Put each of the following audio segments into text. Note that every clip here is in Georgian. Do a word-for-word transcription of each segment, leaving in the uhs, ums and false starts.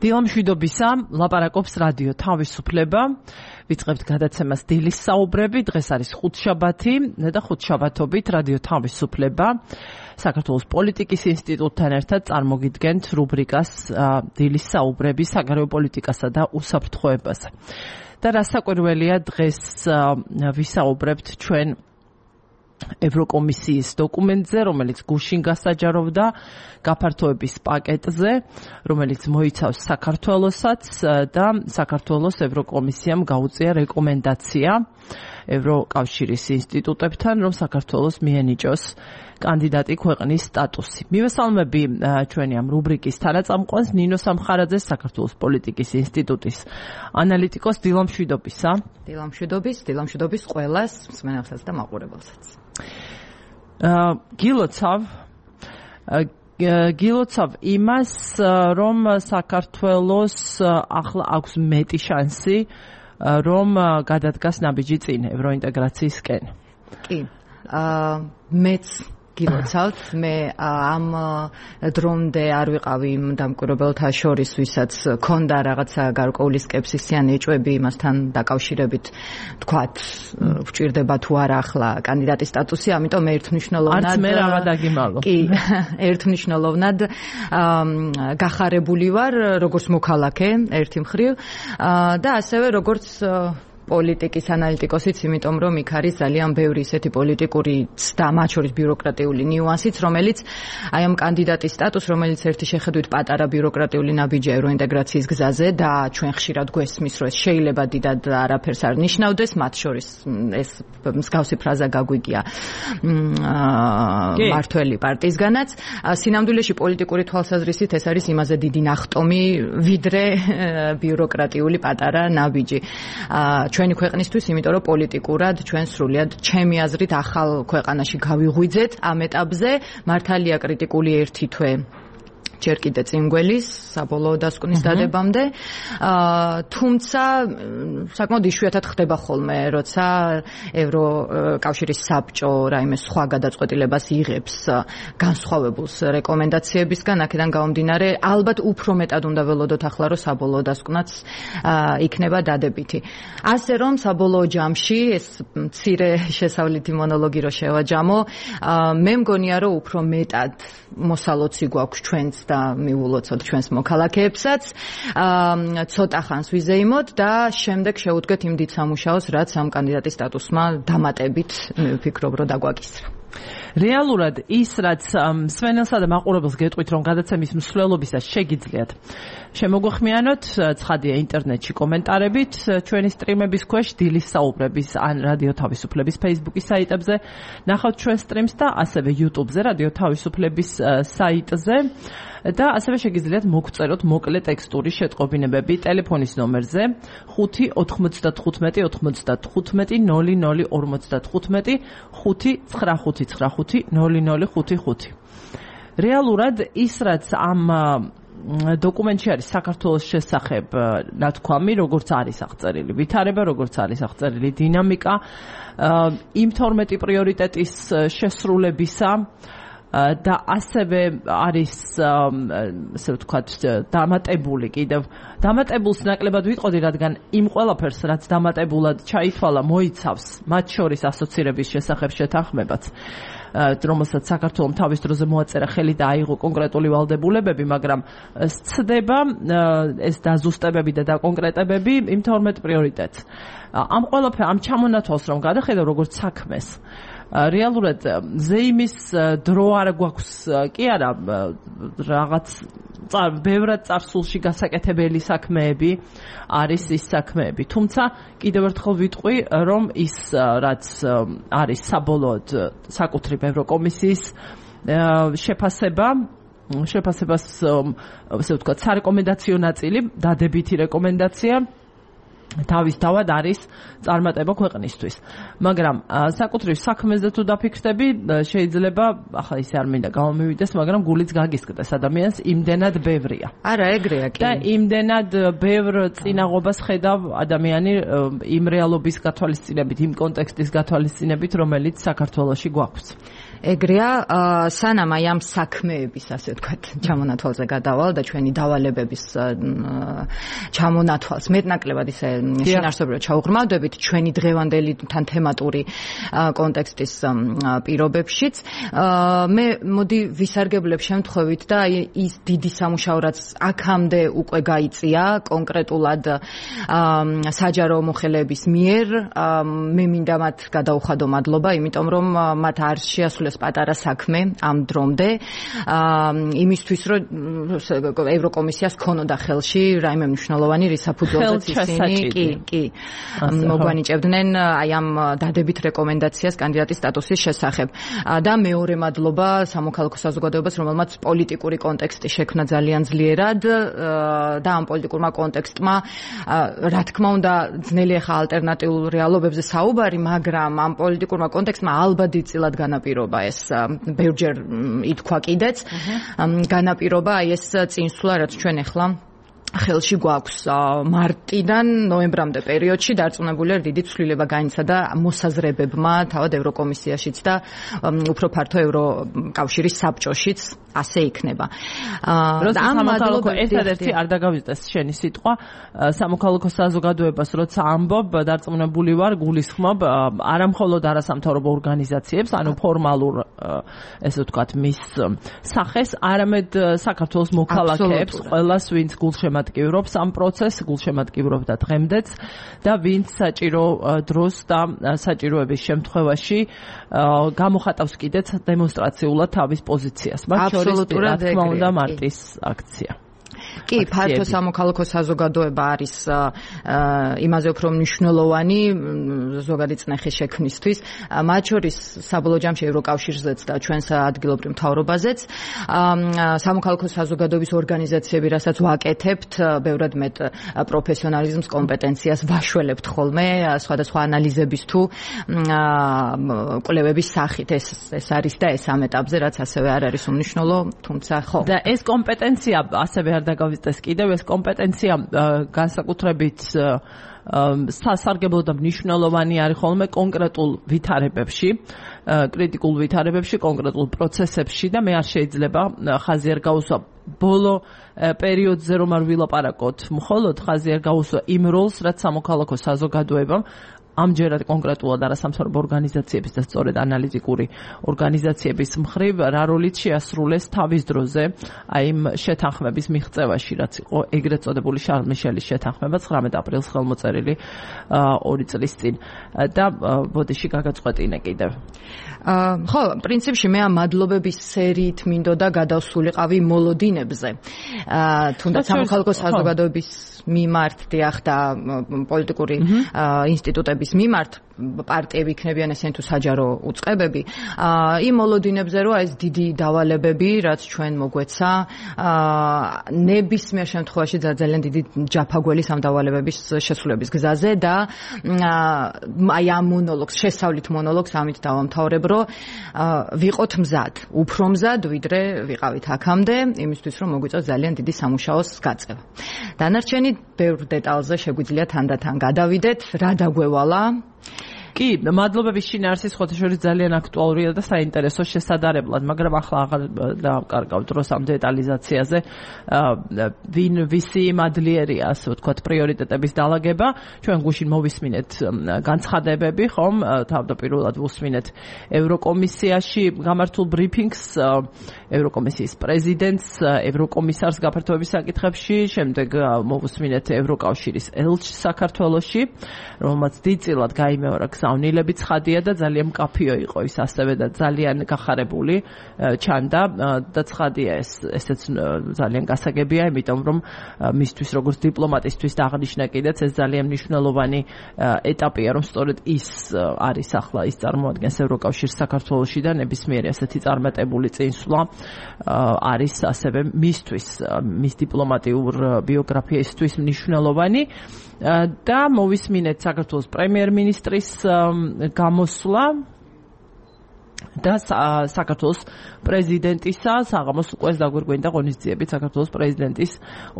დილამშვიდობისა, ლაპარაკობს რადიო თავისუფლება. ვიწყებთ გადაცემას დილის საუბრები. დღეს არის ხუთშაბათი და ხუთშაბათობით რადიო თავისუფლება საქართველოს პოლიტიკის ინსტიტუტთან ერთად წარმოგიდგენთ რუბრიკას დილის საუბრები საგარეო პოლიტიკასა და უსაფრთხოებაზე. და რასაკვირველია, დღეს ვისაუბრებთ ჩვენ ევროკომისიის დოკუმენტზე, რომელიც გუშინ გასაჯაროვდა გაფართოების პაკეტზე, რომელიც მოიცავს საქართველოსაც და საქართველოს ევროკომისიამ გაუწია რეკომენდაცია ევროკავშირის ინსტიტუტებთან, რომ საქართველოს მიენიჭოს კანდიდატი ქვეყნის სტატუსი. მივესალმები ჩვენი ამ რუბრიკის თანაწამყვანს ნინო სამხარაძეს, საქართველოს პოლიტიკის ინსტიტუტის ანალიტიკოს. დილამშვიდობისა. დილამშვიდობის, დილამშვიდობის ყველას, მსმენელსაც და მაყურებელსაც. გილოცავ გილოცავ იმას, რომ საქართველოს ახლა აქვს მეტი შანსი, რომ გადადგას ნაბიჯი წინ ევროინტეგრაციისკენ. კი, მეც გილოცავთ, მე ამ დრომდე არ ვიყავი იმ დამკვირვებელთა შორის, ვისაც ქონდა რაღაცა გარკვეული სკეპსისი ან ეჭვები იმასთან დაკავშირებით, თქვათ, ვჭირდება თუ არა ახლა კანდიდატის სტატუსი, ამიტომ ერთმნიშვნელოვნად არც მე რა დაგიმალო. კი, ერთმმნიშვნელოვნად გახარებული ვარ, როგორც მოქალაქე ერთი მხრივ და ასევე როგორც პოლიტიკის ანალიტიკოსიც, იმიტომ რომ იქ არის ძალიან ბევრი ისეთი პოლიტიკური და მათ შორის ბიუროკრატიული ნიუანსიც, რომელიც აი ამ კანდიდატის სტატუსს, რომელიც ერთი შეხედვით პატარა ბიუროკრატიული ნაბიჯია ევროინტეგრაციის გზაზე და ჩვენ ხშირად გვესმის, რომ ეს შეიძლება დიდად არაფერს არ ნიშნავდეს, მათ შორის ეს მსგავსი ფრაზა გაგვიგია მართველი პარტიისგანაც. სინამდვილეში პოლიტიკური თვალსაზრისით ეს არის იმაზე დიდი ნახტომი, ვიდრე ბიუროკრატიული პატარა ნაბიჯი. ჩვენი ქვეყნისთვის, იმიტომ რომ პოლიტიკურად ჩვენ სრულიად ჩემი აზრით ახალ ქვეყანაში გავიღვიძეთ ამ ეტაპზე. მართალია კრიტიკული ერთი თვე ჯერ კიდე წინგველის საბოლოო დასკვნის დადებამდე, თუმცა საკმაოდ იშვიათად ხდება ხოლმე, როცა ევროკავშირის საბჭო რაიმე სხვა გადაწყვეტილებას იღებს განსხვავებულს რეკომენდაციებისგან, აქედან გამომდინარე, ალბათ უფრო მეტად უნდა ველოდოთ ახლა, რომ საბოლოო დასკვნაც იქნება დადებითი. ასე რომ საბოლოო ჯამში ეს მცირე შესავლითი მონოლოგი რო შევაჯამო, მე მგონია, რომ უფრო მეტად მოსალოცი გვაქვს ჩვენც და მიულოცოთ ჩვენს მოქალაქეებსაც, ცოტა ხანს ვიზეიმოთ და შემდეგ შევუდგეთ იმ დიდ სამუშაოს, რაც ამ კანდიდატის სტატუსმა დამატებით ვფიქრობ, რომ დაგვაკისრა. რეალურად ის, რაც მსმენელსა და მაყურებელს გეტყვით, რომ გადაცემის მსვლელობისას შეგიძლიათ შემოგვეხმიანოთ, ცხადია ინტერნეტში კომენტარებით, ჩვენი სტრიმების ქვეშ დილის საუბრების ან რადიო თავისუფლების Facebook-ის საიტებზე, ნახავთ ჩვენ სტრიმს და ასევე YouTube-ზე, რადიო თავისუფლების საიტზე. და ასევე შეგიძლიათ მოგწეროთ მოკლე ტექსტური შეტყობინებები ტელეფონის ნომერზე ხუთი ოთხმოცდათხუთმეტი ოცდათხუთმეტი ნული ნული ორმოცდათხუთმეტი ხუთი ცხრა ხუთი ცხრა ხუთი ნული ნული ხუთი ხუთი. რეალურად ის, რაც ამ დოკუმენტში არის საქართველოს შესახებ ნათქვამი, როგორც არის აღწერილი ვითარება, როგორც არის აღწერილი დინამიკა, იმ თორმეტი პრიორიტეტის შესრულებისა და ასევე არის, ასე ვთქვათ, დამატებული კიდევ. დამატებულს ნაკლებად ვიტყოდი, რადგან იმ ყველაფერს, რაც დამატებულად ჩაითვალა, მოიცავს მათ შორის ასოცირების შესახებ შეთანხმებაც, რომელსაც საქართველოს თავის დროზე მოაწერა ხელი და აიღო კონკრეტული ვალდებულებები, მაგრამ სცდება ეს დაზუსტებები და დაკონკრეტებები იმ თორმეტ პრიორიტეტს. ამ ყველაფერ ამ ჩამონათვალს რომ გადახედავ როგორც საქმეს, რეალურად ზეიმის დრო არ გვაქვს, კი არა, რაღაც ბევრად წარსულში გასაკეთებელი საქმეები არის ის საქმეები. თუმცა კიდევ ერთხელ ვიტყვი, რომ ის, რაც არის საბოლოოდ საკუთრივ ევროკომისიის შეფასება, შეფასებას, ასე ვთქვათ, სარეკომენდაციო ნაწილი, დადებითი რეკომენდაცია, თავის თავად არის წარმატება ქვეყნისთვის. მაგრამ საკუთრივ საქმეზე თუ დაფიქრდები, შეიძლება ახლა ისე არ მინდა გამომივიდეს, მაგრამ გულიც გაგისკდეს ადამიანს, იმდენად ბევრია. არა, ეგრეა კი. და იმდენად ბევრ წინაღობას ხედავ ადამიანი იმ რეალობის გათვალისწინებით, იმ კონტექსტის გათვალისწინებით, რომელიც საქართველოში გვაქვს. ეგრეა, სანამ აი ამ საქმეების, ასე ვთქვათ, ჩამონათვალზე გადავალ და ჩვენი დავალებების ჩამონათვალს მეტნაკლებად ისე შინაარსობრივად ჩაუღრმავდებით ჩვენი დღევანდელი თან თემატური კონტექსტის პირობებშიც. მე მოდი ვისარგებლებ შემთხვევით და აი ის დიდი სამუშაო რაც აქამდე უკვე გაიწია კონკრეტულად საჯარო მოხელეების მიერ, მე მინდა მათ გადაუხადო მადლობა, იმიტომ რომ მათ არ შეასრულეს პატარა საქმე ამ დრომდე, იმისთვის რომ ევროკომისიას ქონოდა ხელში რაიმე მნიშვნელოვანი რისაფუძველზეც ისინი კი კი მოგვანიჭებდნენ აი ამ დადებით რეკომენდაციას კანდიდატის სტატუსის შესახებ. და მეორე მადლობა სამოქალაქო საზოგადოებას, რომელმაც პოლიტიკური კონტექსტი შექმნა ძალიან ძლიერად და ამ პოლიტიკურმა კონტექსტმა რა თქმა უნდა ძნელი ახლა ალტერნატიულ რეალობებზე საუბარი, მაგრამ ამ პოლიტიკურმა კონტექსტმა ალბათ დიდწილად განაპირობა ეს ბევრჯერ ითქვა კიდეც განაპირობა აი ეს წინსვლა რაც ჩვენ ახლა ხელში გვაქვს მარტიდან ნოემბრამდე პერიოდში დარწმუნებულია დიდი ცვლილება განიცადა მოსაზრებებმა თავად ევროკომისიაშიც და უფრო ფართო ევროკავშირის საბჭოშიც ასე იქნება. როცა სამოქალაქო ერთადერთი არ დაგავიწყდეს შენი სიტყვა, სამოქალაქო საზოგადოებას როცა ამბობ, დარწმუნებული ვარ, გულისხმობ არა მხოლოდ არასამთავრობო ორგანიზაციებს, ანუ ფორმალურ ესე ვთქვათ მის სახეს, არამედ საქართველოს მოქალაქეებს, ყველას ვინც გულშემატკივრობს ამ პროცესს, გულშემატკივრობდა დღემდეც და ვინც საჭირო დროს და საჭიროების შემთხვევაში გამოხატავს კიდეც დემონსტრაციულად თავის პოზიციას. მათ აბსოლუტურად რა თქმა უნდა მარტის აქცია. კი, ფართო სამოქალაქო საზოგადოება არის იმაზე უფრო მნიშვნელოვანი ზოგადი წნეხის შექმნისთვის, მათ შორის საბოლოო ჯამში ევროკავშირზეც და ჩვენს ადგილობრივ მთავრობაზეც. სამოქალაქო საზოგადოების ორგანიზაციები, რასაც ვაკეთებთ, ბევრად მეტ პროფესიონალიზმს, კომპეტენციას ვაშველებთ ხოლმე, სხვადასხვა ანალიზების თუ კვლევების სახით. ეს ეს არის და ეს ამ ეტაპზე, რაც ასევე არ არის უმნიშვნელო, თუმცა ხო. და ეს კომპეტენცია ასევე არ დაგავიწყდეს კიდევ, ეს კომპეტენცია განსაკუთრებით სასარგებლო და მნიშვნელოვანი არის ხოლმე კონკრეტულ ვითარებებში, კრიტიკულ ვითარებებში, კონკრეტულ პროცესებში და მე არ შეიძლება ხაზი არ გაუსვა ბოლო პერიოდზე რომ არ ვილაპარაკოთ, მხოლოდ ხაზი არ გაუსვა იმ როლს, რაც სამოქალაქო საზოგადოებამ ამჯერად კონკრეტულად არასამთავრობო ორგანიზაციების და სწორედ ანალიტიკური ორგანიზაციების მხრივ რა როლით შეასრულეს თავის დროზე აი იმ შეთანხმების მიღწევაში, რაც იყო ეგრეთ წოდებული შარლ მიშელის შეთანხმება ცხრამეტ აპრილს ხელმოწერილი ორი წლის წინ და ბოდიში გაგაწყვეტინე კიდევ. ხო, პრინციპში მე ამ მადლობების სერიით მინდოდა გადავსულიყავი მოლოდინებზე. თუნდაც სამოქალაქო საზოგადოების მიმართ დიახ და პოლიტიკური ინსტიტუტების მიმართ პარტიები იქნებიან ესენი თუ საჯარო უწყებები, იმ მოლოდინებზე რომ ეს დიდი დავალებები, რაც ჩვენ მოგვეცა, ნებისმიერ შემთხვევაში ძალიან დიდი ჯაფაგველი ამ დავალებების შესრულების გზაზე და აი ამ მონოლოგს, შესავლით მონოლოგს ამით დავამთავრებ, რომ ვიყოთ მზად, უფრო მზად, ვიდრე ვიყავით აქამდე, იმისთვის რომ მოგვიწევს ძალიან დიდი სამუშაოს გაწევა. დანარჩენი ბევრ დეტალზე შეგვიძლია თანდათან გადავიდეთ, რა დაგვევალა. კი, მადლობების შინაარსის ხოთაშორის ძალიან აქტუალურია და საინტერესო შესადარებლად, მაგრამ ახლა აღარ დავკარგავ დროს ამ დეტალიზაციაზე. ვინ ვისი მადლიერია, ასე ვთქვათ, პრიორიტეტების დალაგება. ჩვენ გუშინ მოვისმინეთ განცხადებები, ხომ? თავდაპირველად ვუსმინეთ ევროკომისიაში გამართულ ბრიფინგს, ევროკომისიის პრეზიდენტს, ევროკომისარს გაფართოების საკითხებში, შემდეგ მოვუსმინეთ ევროკავშირის ელჩს საქართველოში, რომელმაც დიდწილად გაიმეორა გზავნილები ცხადია და ძალიან მკაფიო იყო ის ასევე და ძალიან გახარებული ჩანდა და ცხადია ეს ესეც ძალიან გასაგებია, იმიტომ რომ მისთვის როგორც დიპლომატისთვის და აღნიშნა კიდეც ეს ძალიან მნიშვნელოვანი ეტაპია, რომ სწორედ ის არის ახლა ის წარმოადგენს ევროკავშირს საქართველოში და ნებისმიერი ასეთი წარმატებული წინსვლა არის ასევე მისთვის მის დიპლომატიურ ბიოგრაფიისთვის მნიშვნელოვანი და მოვისმინეთ საქართველოს პრემიერ-მინისტრის გამოსვლა და საქართველოს პრეზიდენტისა საღამოს უკვე დაგვირგვინდა ღონისძიებით საქართველოს პრეზიდენტის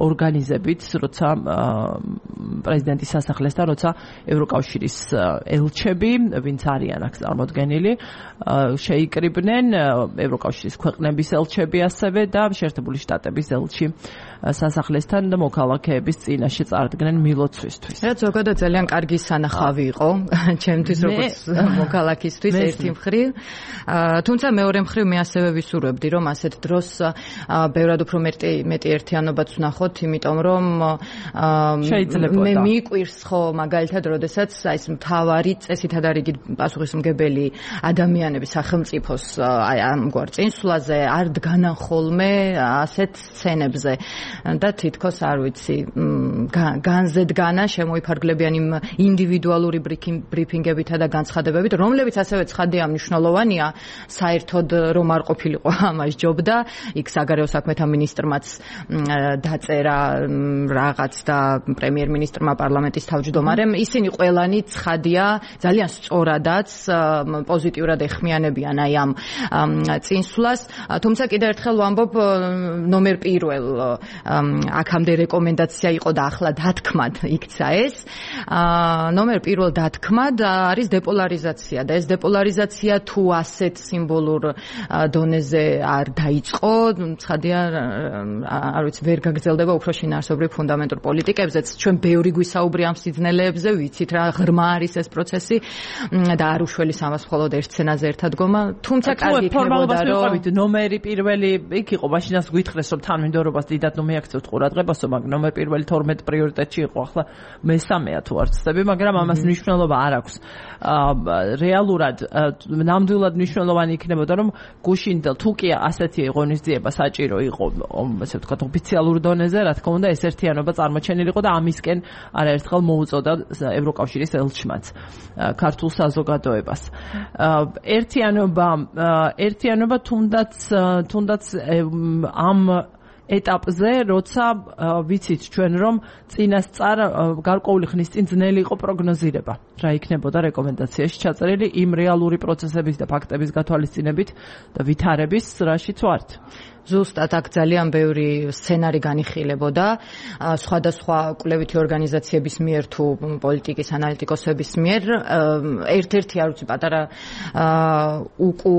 ორგანიზებით, როცა პრეზიდენტის სასახლესთან, როცა ევროკავშირის ელჩები, ვინც არიან აქ წარმოდგენილი, შეიკრიბნენ ევროკავშირის ქვეყნების ელჩები ასევე და შეერთებული შტატების ელჩი სასახლესთან და მოქალაქეების წინაშე წარდგნენ მილოცვისთვის. რაც ზოგადად ძალიან კარგი სანახავი იყო ჩემთვის როგორც მოქალაქისთვის ერთი მხრივ. თუმცა მეორე მხრივ მე ასევე ვისურვებდი რომ ასეთ დროს ბევრად უფრო მეტი მეტი ერთიანობაც ვნახოთ, იმიტომ რომ მე მიყვირს ხო მაგალითად როდესაც აი ეს მთავარი წესითად არ იგი პასუხისმგებელი ადამიანები სახელმწიფოს აი ამგვარ წინსვლაზე არ დგანან ხოლმე ასეთ სცენებზე და თითქოს არ ვიცი განზე დგანა შემოიფარგლებიან იმ ინდივიდუალური ბრიფინგებითა და განცხადებებით, რომლებიც ასევე ცხადია მნიშვნელოვანია საერთოდ რომ არ ყოფილიყო ამას ჯობდა, იქ საგარეო საქმეთა მინისტრმაც დაწერა რაღაც და პრემიერ-მინისტრმა პარლამენტის თავმჯდომარემ, ისინი ყველანი ცხადია ძალიან სწორადაც პოზიტიურად ეხმიანებიან აი ამ წინსვლას, თუმცა კიდევ ერთხელ ვამბობ ნომერ პირველ აქამდე რეკომენდაცია იყო და ახლა დათქმად იქცა ეს. ნომერ პირველ დათქმად არის დეპოლარიზაცია და ეს დეპოლარიზაცია თუ ასეთ სიმბოლურ დონეზე არ დაიწყო, ცხადია არ ვიცი ვერ გაგრძელდება უფრო შინაარსობრივ ფუნდამენტურ პოლიტიკებზეც. ჩვენ ბევრი გვისაუბრი ამ სიძნელეებზე, ვიცით რა ღრმა არის ეს პროცესი და არ უშველის ამას მხოლოდ ერთ სცენაზე ერთად გომა, თუმცა კარგი იქნებოდა რომ ნომერი პირველი იქ იყო, მაშინაც გვითხრეს რომ თანმიმდევრობას დიდად ნუ მიაქცევთ ყურადღებასო, მაგრამ ნომერ პირველი თორმეტ პრიორიტეტში იყო, ახლა მესამეა თუ არ ვცდები, მაგრამ ამას მნიშვნელობა არ აქვს. რეალურად ნამდვილად მნიშვნელოვანი იქნებოდა რომ გუშინდელ თუ კი ასეთი ღონისძიება საჭირო იყო, ასე ვთქვათ, ოფიციალურ დონეზე, რა თქმა უნდა, ეს ერთიანობა წარმოჩენილიყო და ამისკენ არაერთხელ მოუწოდა ევროკავშირის ელჩმაც ქართულ საზოგადოებას. ერთიანობა ერთიანობა თუნდაც თუნდაც ამ ეტაპზე, როცა ვიცით ჩვენ რომ წინასწარ გარკვეული ხნის წინ ძნელი იყო პროგნოზირება, რა იქნებოდა რეკომენდაციაში ჩაწერილი იმ რეალური პროცესების და ფაქტების გათვალისწინებით და ვითარების, რაშიც ვართ. ზუსტად აქ ძალიან ბევრი სცენარი განიხილებოდა სხვადასხვა კვლევითი ორგანიზაციების მიერ თუ პოლიტიკის ანალიტიკოსების მიერ. ერთ-ერთი არ ვიცი პატარა უკუ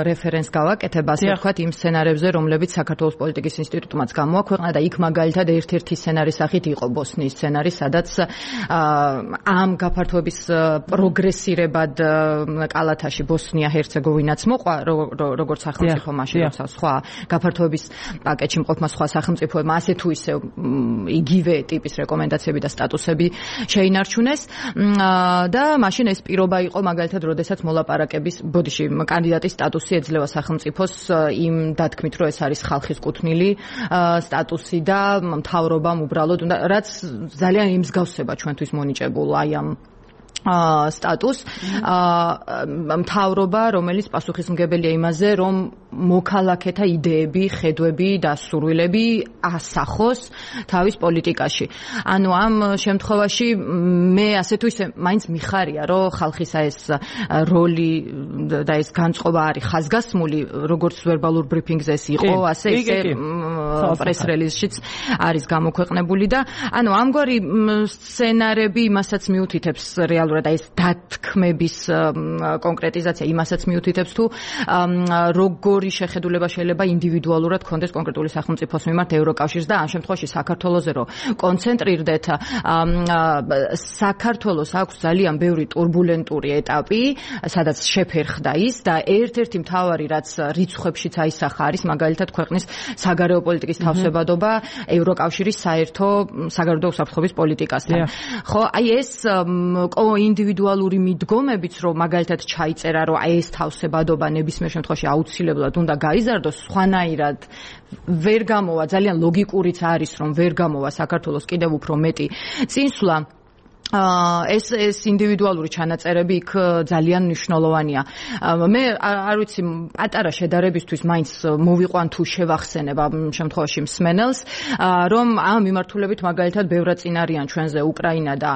რეფერენს გავაკეთებ, ასე ვთქვათ, იმ სცენარებზე, რომლებიც საქართველოს პოლიტიკის ინსტიტუტმაც გამოაქვეყნა და იქ მაგალითად ერთ-ერთი სცენარის სახით იყო ბოსნიის სცენარი, სადაც ამ გაფართოების პროგრესირებად კალათაში ბოსნია ჰერცეგოვინაც მოყვა, როგორც სახელმწიფო მაშინ როცა სხვა გაფართოების პაკეტში მყოფმა სხვა სახელმწიფოებმა ასე თუ ისე იგივე ტიპის რეკომენდაციები და სტატუსები შეინარჩუნეს და მაშინ ეს პირობა იყო მაგალითად როდესაც მოლაპარაკების ბოდიში კანდიდატის სტატუსი ეძლევა სახელმწიფოს იმ დათქმით რომ ეს არის ხალხის კუთვნილი სტატუსი და მთავრობამ უბრალოდ რაც ძალიან იმსგავსება ჩვენთვის მონიჭებულ აი ამ სტატუს მთავრობა, რომელიც პასუხისმგებელია იმაზე, რომ მოქალაქეთა იდეები, ხედვები და სურვილები ასახოს თავის პოლიტიკაში. ანუ ამ შემთხვევაში მე ასე თუ ისე მაინც მიხარია, რომ ხალხისა ეს როლი და ეს განწყობა არის ხაზგასმული, როგორც ვერბალურ ბრიფინგზე ეს იყო, ასე ისე პრეს რელიზშიც არის გამოქვეყნებული და ანუ ამგვარი სცენარები იმასაც მიუთითებს რეალურად და ეს დათქმების კონკრეტიზაცია იმასაც მიუთითებს თუ როგორ როგორი შეხედულება შეიძლება ინდივიდუალურად კონდეს კონკრეტული სახელმწიფოს მიმართ ევროკავშირს და ამ შემთხვევაში საქართველოზე რო კონცენტრირდეთ, საქართველოს აქვს ძალიან ბევრი турბულენტური ეტაპი, სადაც შეფერხდა ის და ერთ-ერთი მთავარი რაც რიცხვებშიც აისახა არის მაგალითად ქვეყნის საგარეო პოლიტიკის თავსებადობა ევროკავშირის საერთო საგარეო უსაფრთხოების პოლიტიკასთან. ხო, აი ეს ინდივიდუალური მიდგომებიც რომ მაგალითად ჩაიწერა რომ აი ეს თავსებადობა ნებისმიერ შემთხვევაში აუცილებლად უნდა გაიზარდოს, სხვანაირად ვერ გამოვა, ძალიან ლოგიკურიც არის რომ ვერ გამოვა საქართველოს კიდევ უფრო მეტი წინსვლა. ეს ეს ინდივიდუალური ჩანაწერები იქ ძალიან მნიშვნელოვანია. მე არ ვიცი, პატარა შედარებისთვის მაინც მოვიყვან თუ შევახსენებ ამ შემთხვევაში მსმენელს, რომ ამ მიმართულებით მაგალითად ბევრად წინ არიან ჩვენზე უკრაინა და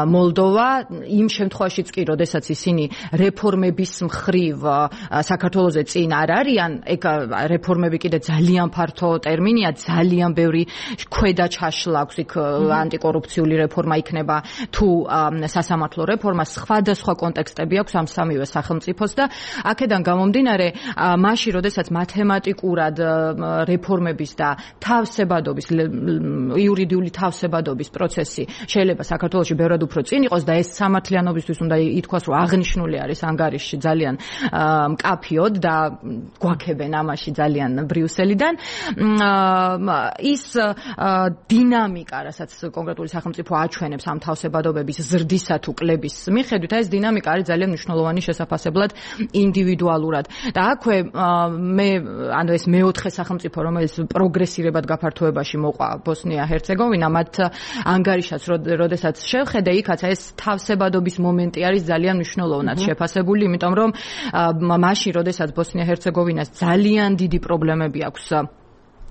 მოლდოვა, იმ შემთხვევაშიც კი, როდესაც ისინი რეფორმების მხრივ საქართველოზე წინ არ არიან, ეგ რეფორმები კიდე ძალიან ფართო ტერმინია, ძალიან ბევრი ქვედა ჩაშლა აქვს იქ, ანტიკორუფციული რეფორმა იქნება თუ სასამართლო რეფორმა, სხვადასხვა კონტექსტები აქვს ამ სამივე სახელმწიფოს და აქედან გამომდინარე, მაშინ როდესაც მათემატიკურად რეფორმების და თავსებადობის, იურიდიული თავსებადობის პროცესი შეიძლება საქართველოში ბევრად უფრო წინ იყოს და ეს სამართლიანობისთვის უნდა ითქვას, რომ აღნიშნული არის ანგარიშში ძალიან მკაფიოდ და გვაქებენ ამაში ძალიან ბრიუსელიდან. ის დინამიკა, რასაც კონკრეტული სახელმწიფო აჩვენებს ამ თავსებადობების ზრდისა თუ კლების მიხედვით, ეს დინამიკა არის ძალიან მნიშვნელოვანი შესაძლებელად ინდივიდუალურად. და აქვე მე ანუ ეს მეოთხე სახელმწიფო, რომელიც პროგრესირებად გაფართოებაში მოყვა ბოსნია-ჰერცეგოვინა, მათ ანგარიშაც როდესაც შევხედე, იქაც ეს თავსებადობის მომენტი არის ძალიან მნიშვნელოვნად შეფასებული, იმიტომ რომ მაშინ როდესაც ბოსნია-ჰერცეგოვინას ძალიან დიდი პრობლემები აქვს,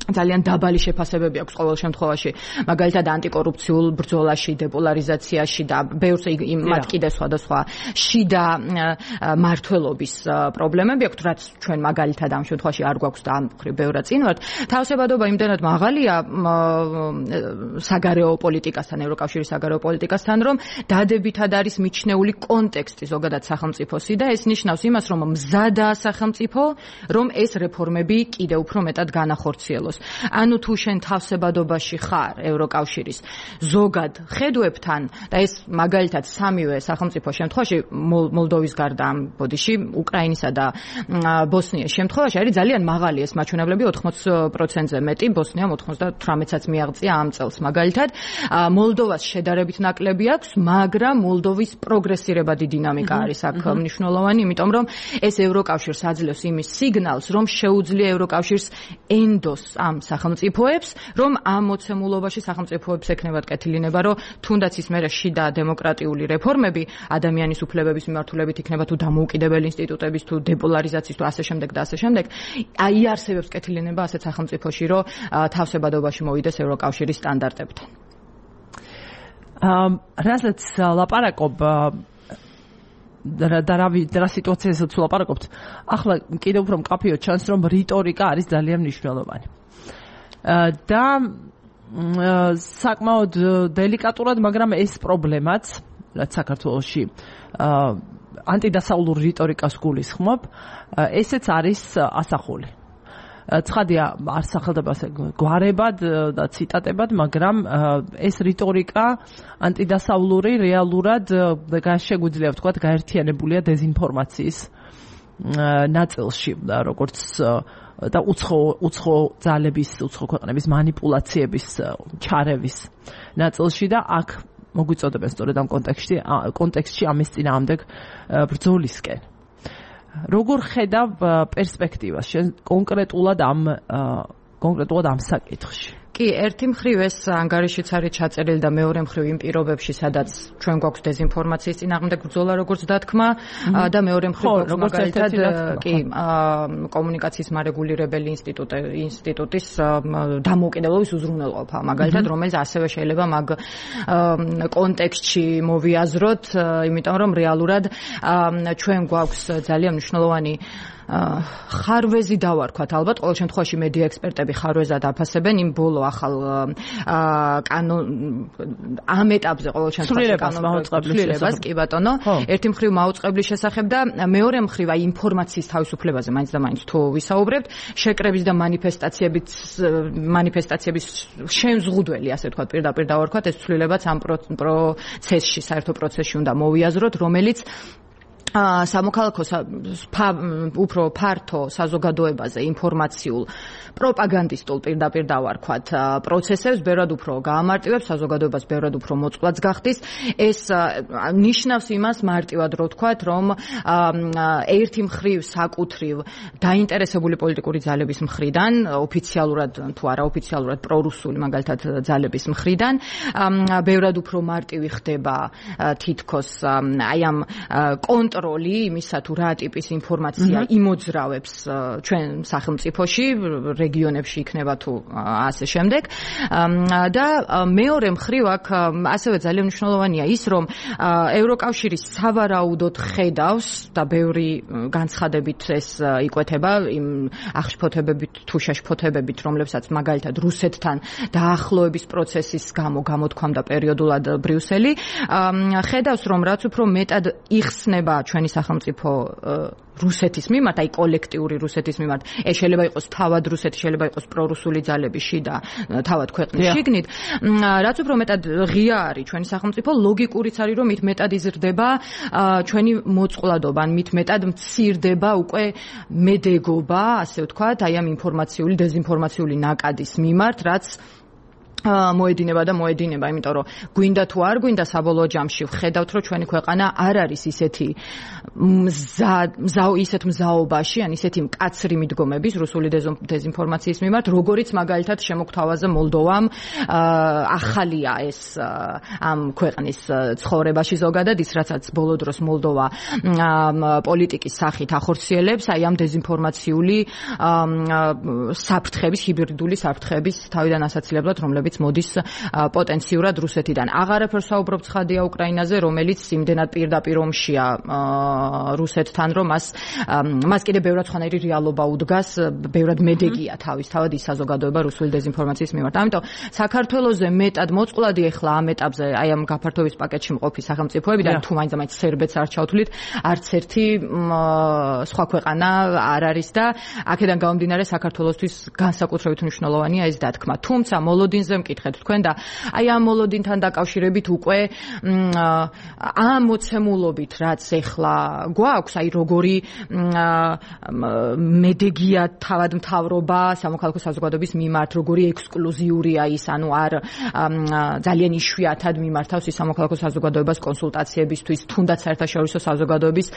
ძალიან დაბალი შეფასებები აქვს ყოველ შემთხვევაში, მაგალითად ანტიკორუფციულ ბრძოლაში, დეპოლარიზაციაში და ბევრს მათ კიდე სხვადასხვა შიდა მართლობის პრობლემები აქვს, რაც ჩვენ მაგალითად ამ შემთხვევაში არ გვაქვს და ამ მხრივ ბევრად წინ ვართ. თავსებადობა იმდენად მაღალია საგარეო პოლიტიკასთან, ევროკავშირის საგარეო პოლიტიკასთან, რომ დადებითად არის მიჩნეული კონტექსტი ზოგადად სახელმწიფოსი და ეს ნიშნავს იმას, რომ მზადაა სახელმწიფო, რომ ეს რეფორმები კიდევ უფრო მეტად განახორციელოს. ანუ თუ შენ თავსებადობაში ხარ ევროკავშირის ზოგად ხედვებთან და ეს მაგალითად სამივე სახელმწიფო შემთხვევაში მოლდოვის გარდა ამ ბოდიში უკრაინისა და ბოსნიის შემთხვევაში არის ძალიან მაღალი ეს მაჩვენებლები, ოთხმოც პროცენტზე მეტი, ბოსნიამ ოცდათრამეტსაც მიაღწია ამ წელს მაგალითად. მოლდოვას შედარებით ნაკლები აქვს, მაგრამ მოლდოვის პროგრესირებადი დინამიკა არის აქ მნიშვნელოვანი, იმიტომ რომ ეს ევროკავშირს აძლევს იმის სიგნალს, რომ შეუძლია ევროკავშირს ენდოს ამ სახელმწიფოებს, რომ ამ მოცემულობაში სახელმწიფოებს ექნებათ კეთილინება, რომ თუნდაც ის მერე შიდა დემოკრატიული რეფორმები ადამიანის უფლებების მიმართულებით იქნება თუ დამოუკიდებელი ინსტიტუტების თუ დეპოლარიზაციის თუ ასე შემდეგ და ასე შემდეგ, აიარსებებს კეთილინება ასეთ სახელმწიფოში, რომ თავსებადობაში მოვიდეს ევროკავშირის სტანდარტებთან. რასაც ლაპარაკობ და რა სიტუაციასაც ლაპარაკობთ, ახლა კიდევ უფრო მკაფიოდ ჩანს, რომ რიტორიკა არის ძალიან მნიშვნელოვანი. და საკმაოდ დელიკატურად, მაგრამ ეს პრობლემაც, რაც საქართველოში ანტიდასავლურ რიტორიკას გულისხმობ, ესეც არის ასახული. ცხადია, არ სახელდება გვარებად და ციტატებად, მაგრამ ეს რიტორიკა ანტიდასავლური რეალურად შეგვიძლია ვთქვათ გაერთიანებულია დეზინფორმაციის ნაწილში, როგორც და უცხო უცხო ძალების, უცხო ქვეყნების манипуляციების ჩარევის ნაწილში და აქ მოგვიწოდებენ სწორედ ამ კონტექსტში კონტექსტში ამის წინააღმდეგ ბრძოლისკენ. როგორ ხედავ პერსპექტივას შენ კონკრეტულად ამ კონკრეტულად ამ საკითხში? კი, ერთი მხრივ ეს ანგარიშიც არის ჩაწერილი და მეორე მხრივ იმ პირობებში, სადაც ჩვენ გვაქვს დეზინფორმაციის წინააღმდეგ ბრძოლა, როგორც დათქმა და მეორე მხრივ მაგალითად კი კომუნიკაციის მარეგულირებელი ინსტიტუტი ინსტიტუტის დამოუკიდებლობის უზრუნველყოფა, მაგალითად, რომელიც ასევე შეიძლება მაგ კონტექსტში მოვიაზროთ, იმიტომ რომ რეალურად ჩვენ გვაქვს ძალიან მნიშვნელოვანი ხარვეზი დავარქვათ ალბათ ყოველ შემთხვევაში მედია ექსპერტები ხარვეზად აფასებენ იმ ბოლო ახალ კანონ ამ ეტაპზე ყოველ შემთხვევაში კანონმდებლობას კი ბატონო ერთი მხრივ მაუწყებლის შესახებ და მეორე მხრივ აი ინფორმაციის თავისუფლებაზე მაინც და მაინც თუ ვისაუბრებთ შეკრების და მანიფესტაციების მანიფესტაციების შემზღუდველი ასე ვთქვათ პირდაპირ დავარქვათ ეს ცვლილებაც ამ პროცესში საერთო პროცესში უნდა მოვიაზროთ რომელიც სამოქალაქო უფრო ფართო საზოგადოებაზე ინფორმაციულ პროპაგანდისტულ პირდაპირ დავარქვათ პროცესებს ბევრად უფრო გაამარტივებს საზოგადოებას ბევრად უფრო მოწყვლადს გახდის ეს ნიშნავს იმას მარტივად რო ვთქვათ რომ ერთი მხრივ საკუთრივ დაინტერესებული პოლიტიკური ძალების მხრიდან ოფიციალურად თუ არაოფიციალურად პრორუსული მაგალითად ძალების მხრიდან ბევრად უფრო მარტივი ხდება თითქოს აი ამ კონტროლი იმისა თუ რა ტიპის ინფორმაცია იმოძრავებს ჩვენ სახელმწიფოში რეგიონებში იქნება თუ ასე შემდეგ და მეორე მხრივ აქ ასევე ძალიან მნიშვნელოვანია ის რომ ევროკავშირი სავარაუდოდ ხედავს და ბევრი განცხადებით ეს იკვეთება იმ აღშფოთებებით თუ შეშფოთებებით რომლებსაც მაგალითად რუსეთთან დაახლოების პროცესის გამო გამოთქვამდა პერიოდულად ბრიუსელი ხედავს რომ რაც უფრო მეტად იხსნება ჩვენი სახელმწიფო რუსეთის მიმართ, აი კოლექტიური რუსეთის მიმართ, ეს შეიძლება იყოს თავად რუსეთი, შეიძლება იყოს პრორუსული ძალები შიდა, თავად ქვეყნის შიგნით, რაც უფრო მეტად ღია არის ჩვენი სახელმწიფო, ლოგიკურიც არის რომ მით მეტად იზრდება ჩვენი მოწყვლადობა, ან მით მეტად მცირდება უკვე მედეგობა, ასე ვთქვათ, აი ამ ინფორმაციული, დეზინფორმაციული ნაკადის მიმართ, რაც მოედინება და მოედინება, იმიტომ რომ გვინდა თუ არ გვინდა საბოლოო ჯამში ვხედავთ, რომ ჩვენი ქვეყანა არ არის ისეთი ისეთ მზაობაში, ან ისეთი მკაცრი მიდგომების რუსული დეზინფორმაციის მიმართ, როგორიც მაგალითად შემოგთავაზე მოლდოვამ ახალია ეს ამ ქვეყნის ცხოვრებაში ზოგადად, ის რასაც ბოლო დროს მოლდოვა პოლიტიკის სახით ახორციელებს, აი ამ დეზინფორმაციული საფრთხების, ჰიბრიდული საფრთხების თავიდან ასაცილებლად, რომლებიც მოდის პოტენციურად რუსეთიდან. აღარაფერს საუბრობ ცხადია უკრაინაზე, რომელიც იმდენად პირდაპირ ომშია რუსეთთან, რომ მას მას კიდე ბევრად სხვანაირი რეალობა უდგას, ბევრად მედეგია თავისთავად ის საზოგადოება რუსული დეზინფორმაციის მიმართ. ამიტომ საქართველოზე მეტად მოწყვლადი ახლა ამ ეტაპზე, აი ამ გაფართოების პაკეტში მყოფი სახელმწიფოებიდან, თუ მაინც და მაინც სერბეთს არ ჩავთვლით, არც ერთი სხვა ქვეყანა არ არის და აქედან გამომდინარე საქართველოსთვის განსაკუთრებით მნიშვნელოვანია ეს დათქმა. თუმცა მოლოდინზე მკითხეთ თქვენ და აი ამ მოლოდინთან დაკავშირებით უკვე ამ მოცემულობით რაც ეხლა გვაქვს, აი როგორი მედეგია თავად მთავრობა სამოქალაქო საზოგადოების მიმართ, როგორი ექსკლუზიურია ის, ანუ არ ძალიან იშვიათად მიმართავს ის სამოქალაქო საზოგადოებას კონსულტაციებისთვის, თუნდაც საერთაშორისო საზოგადოების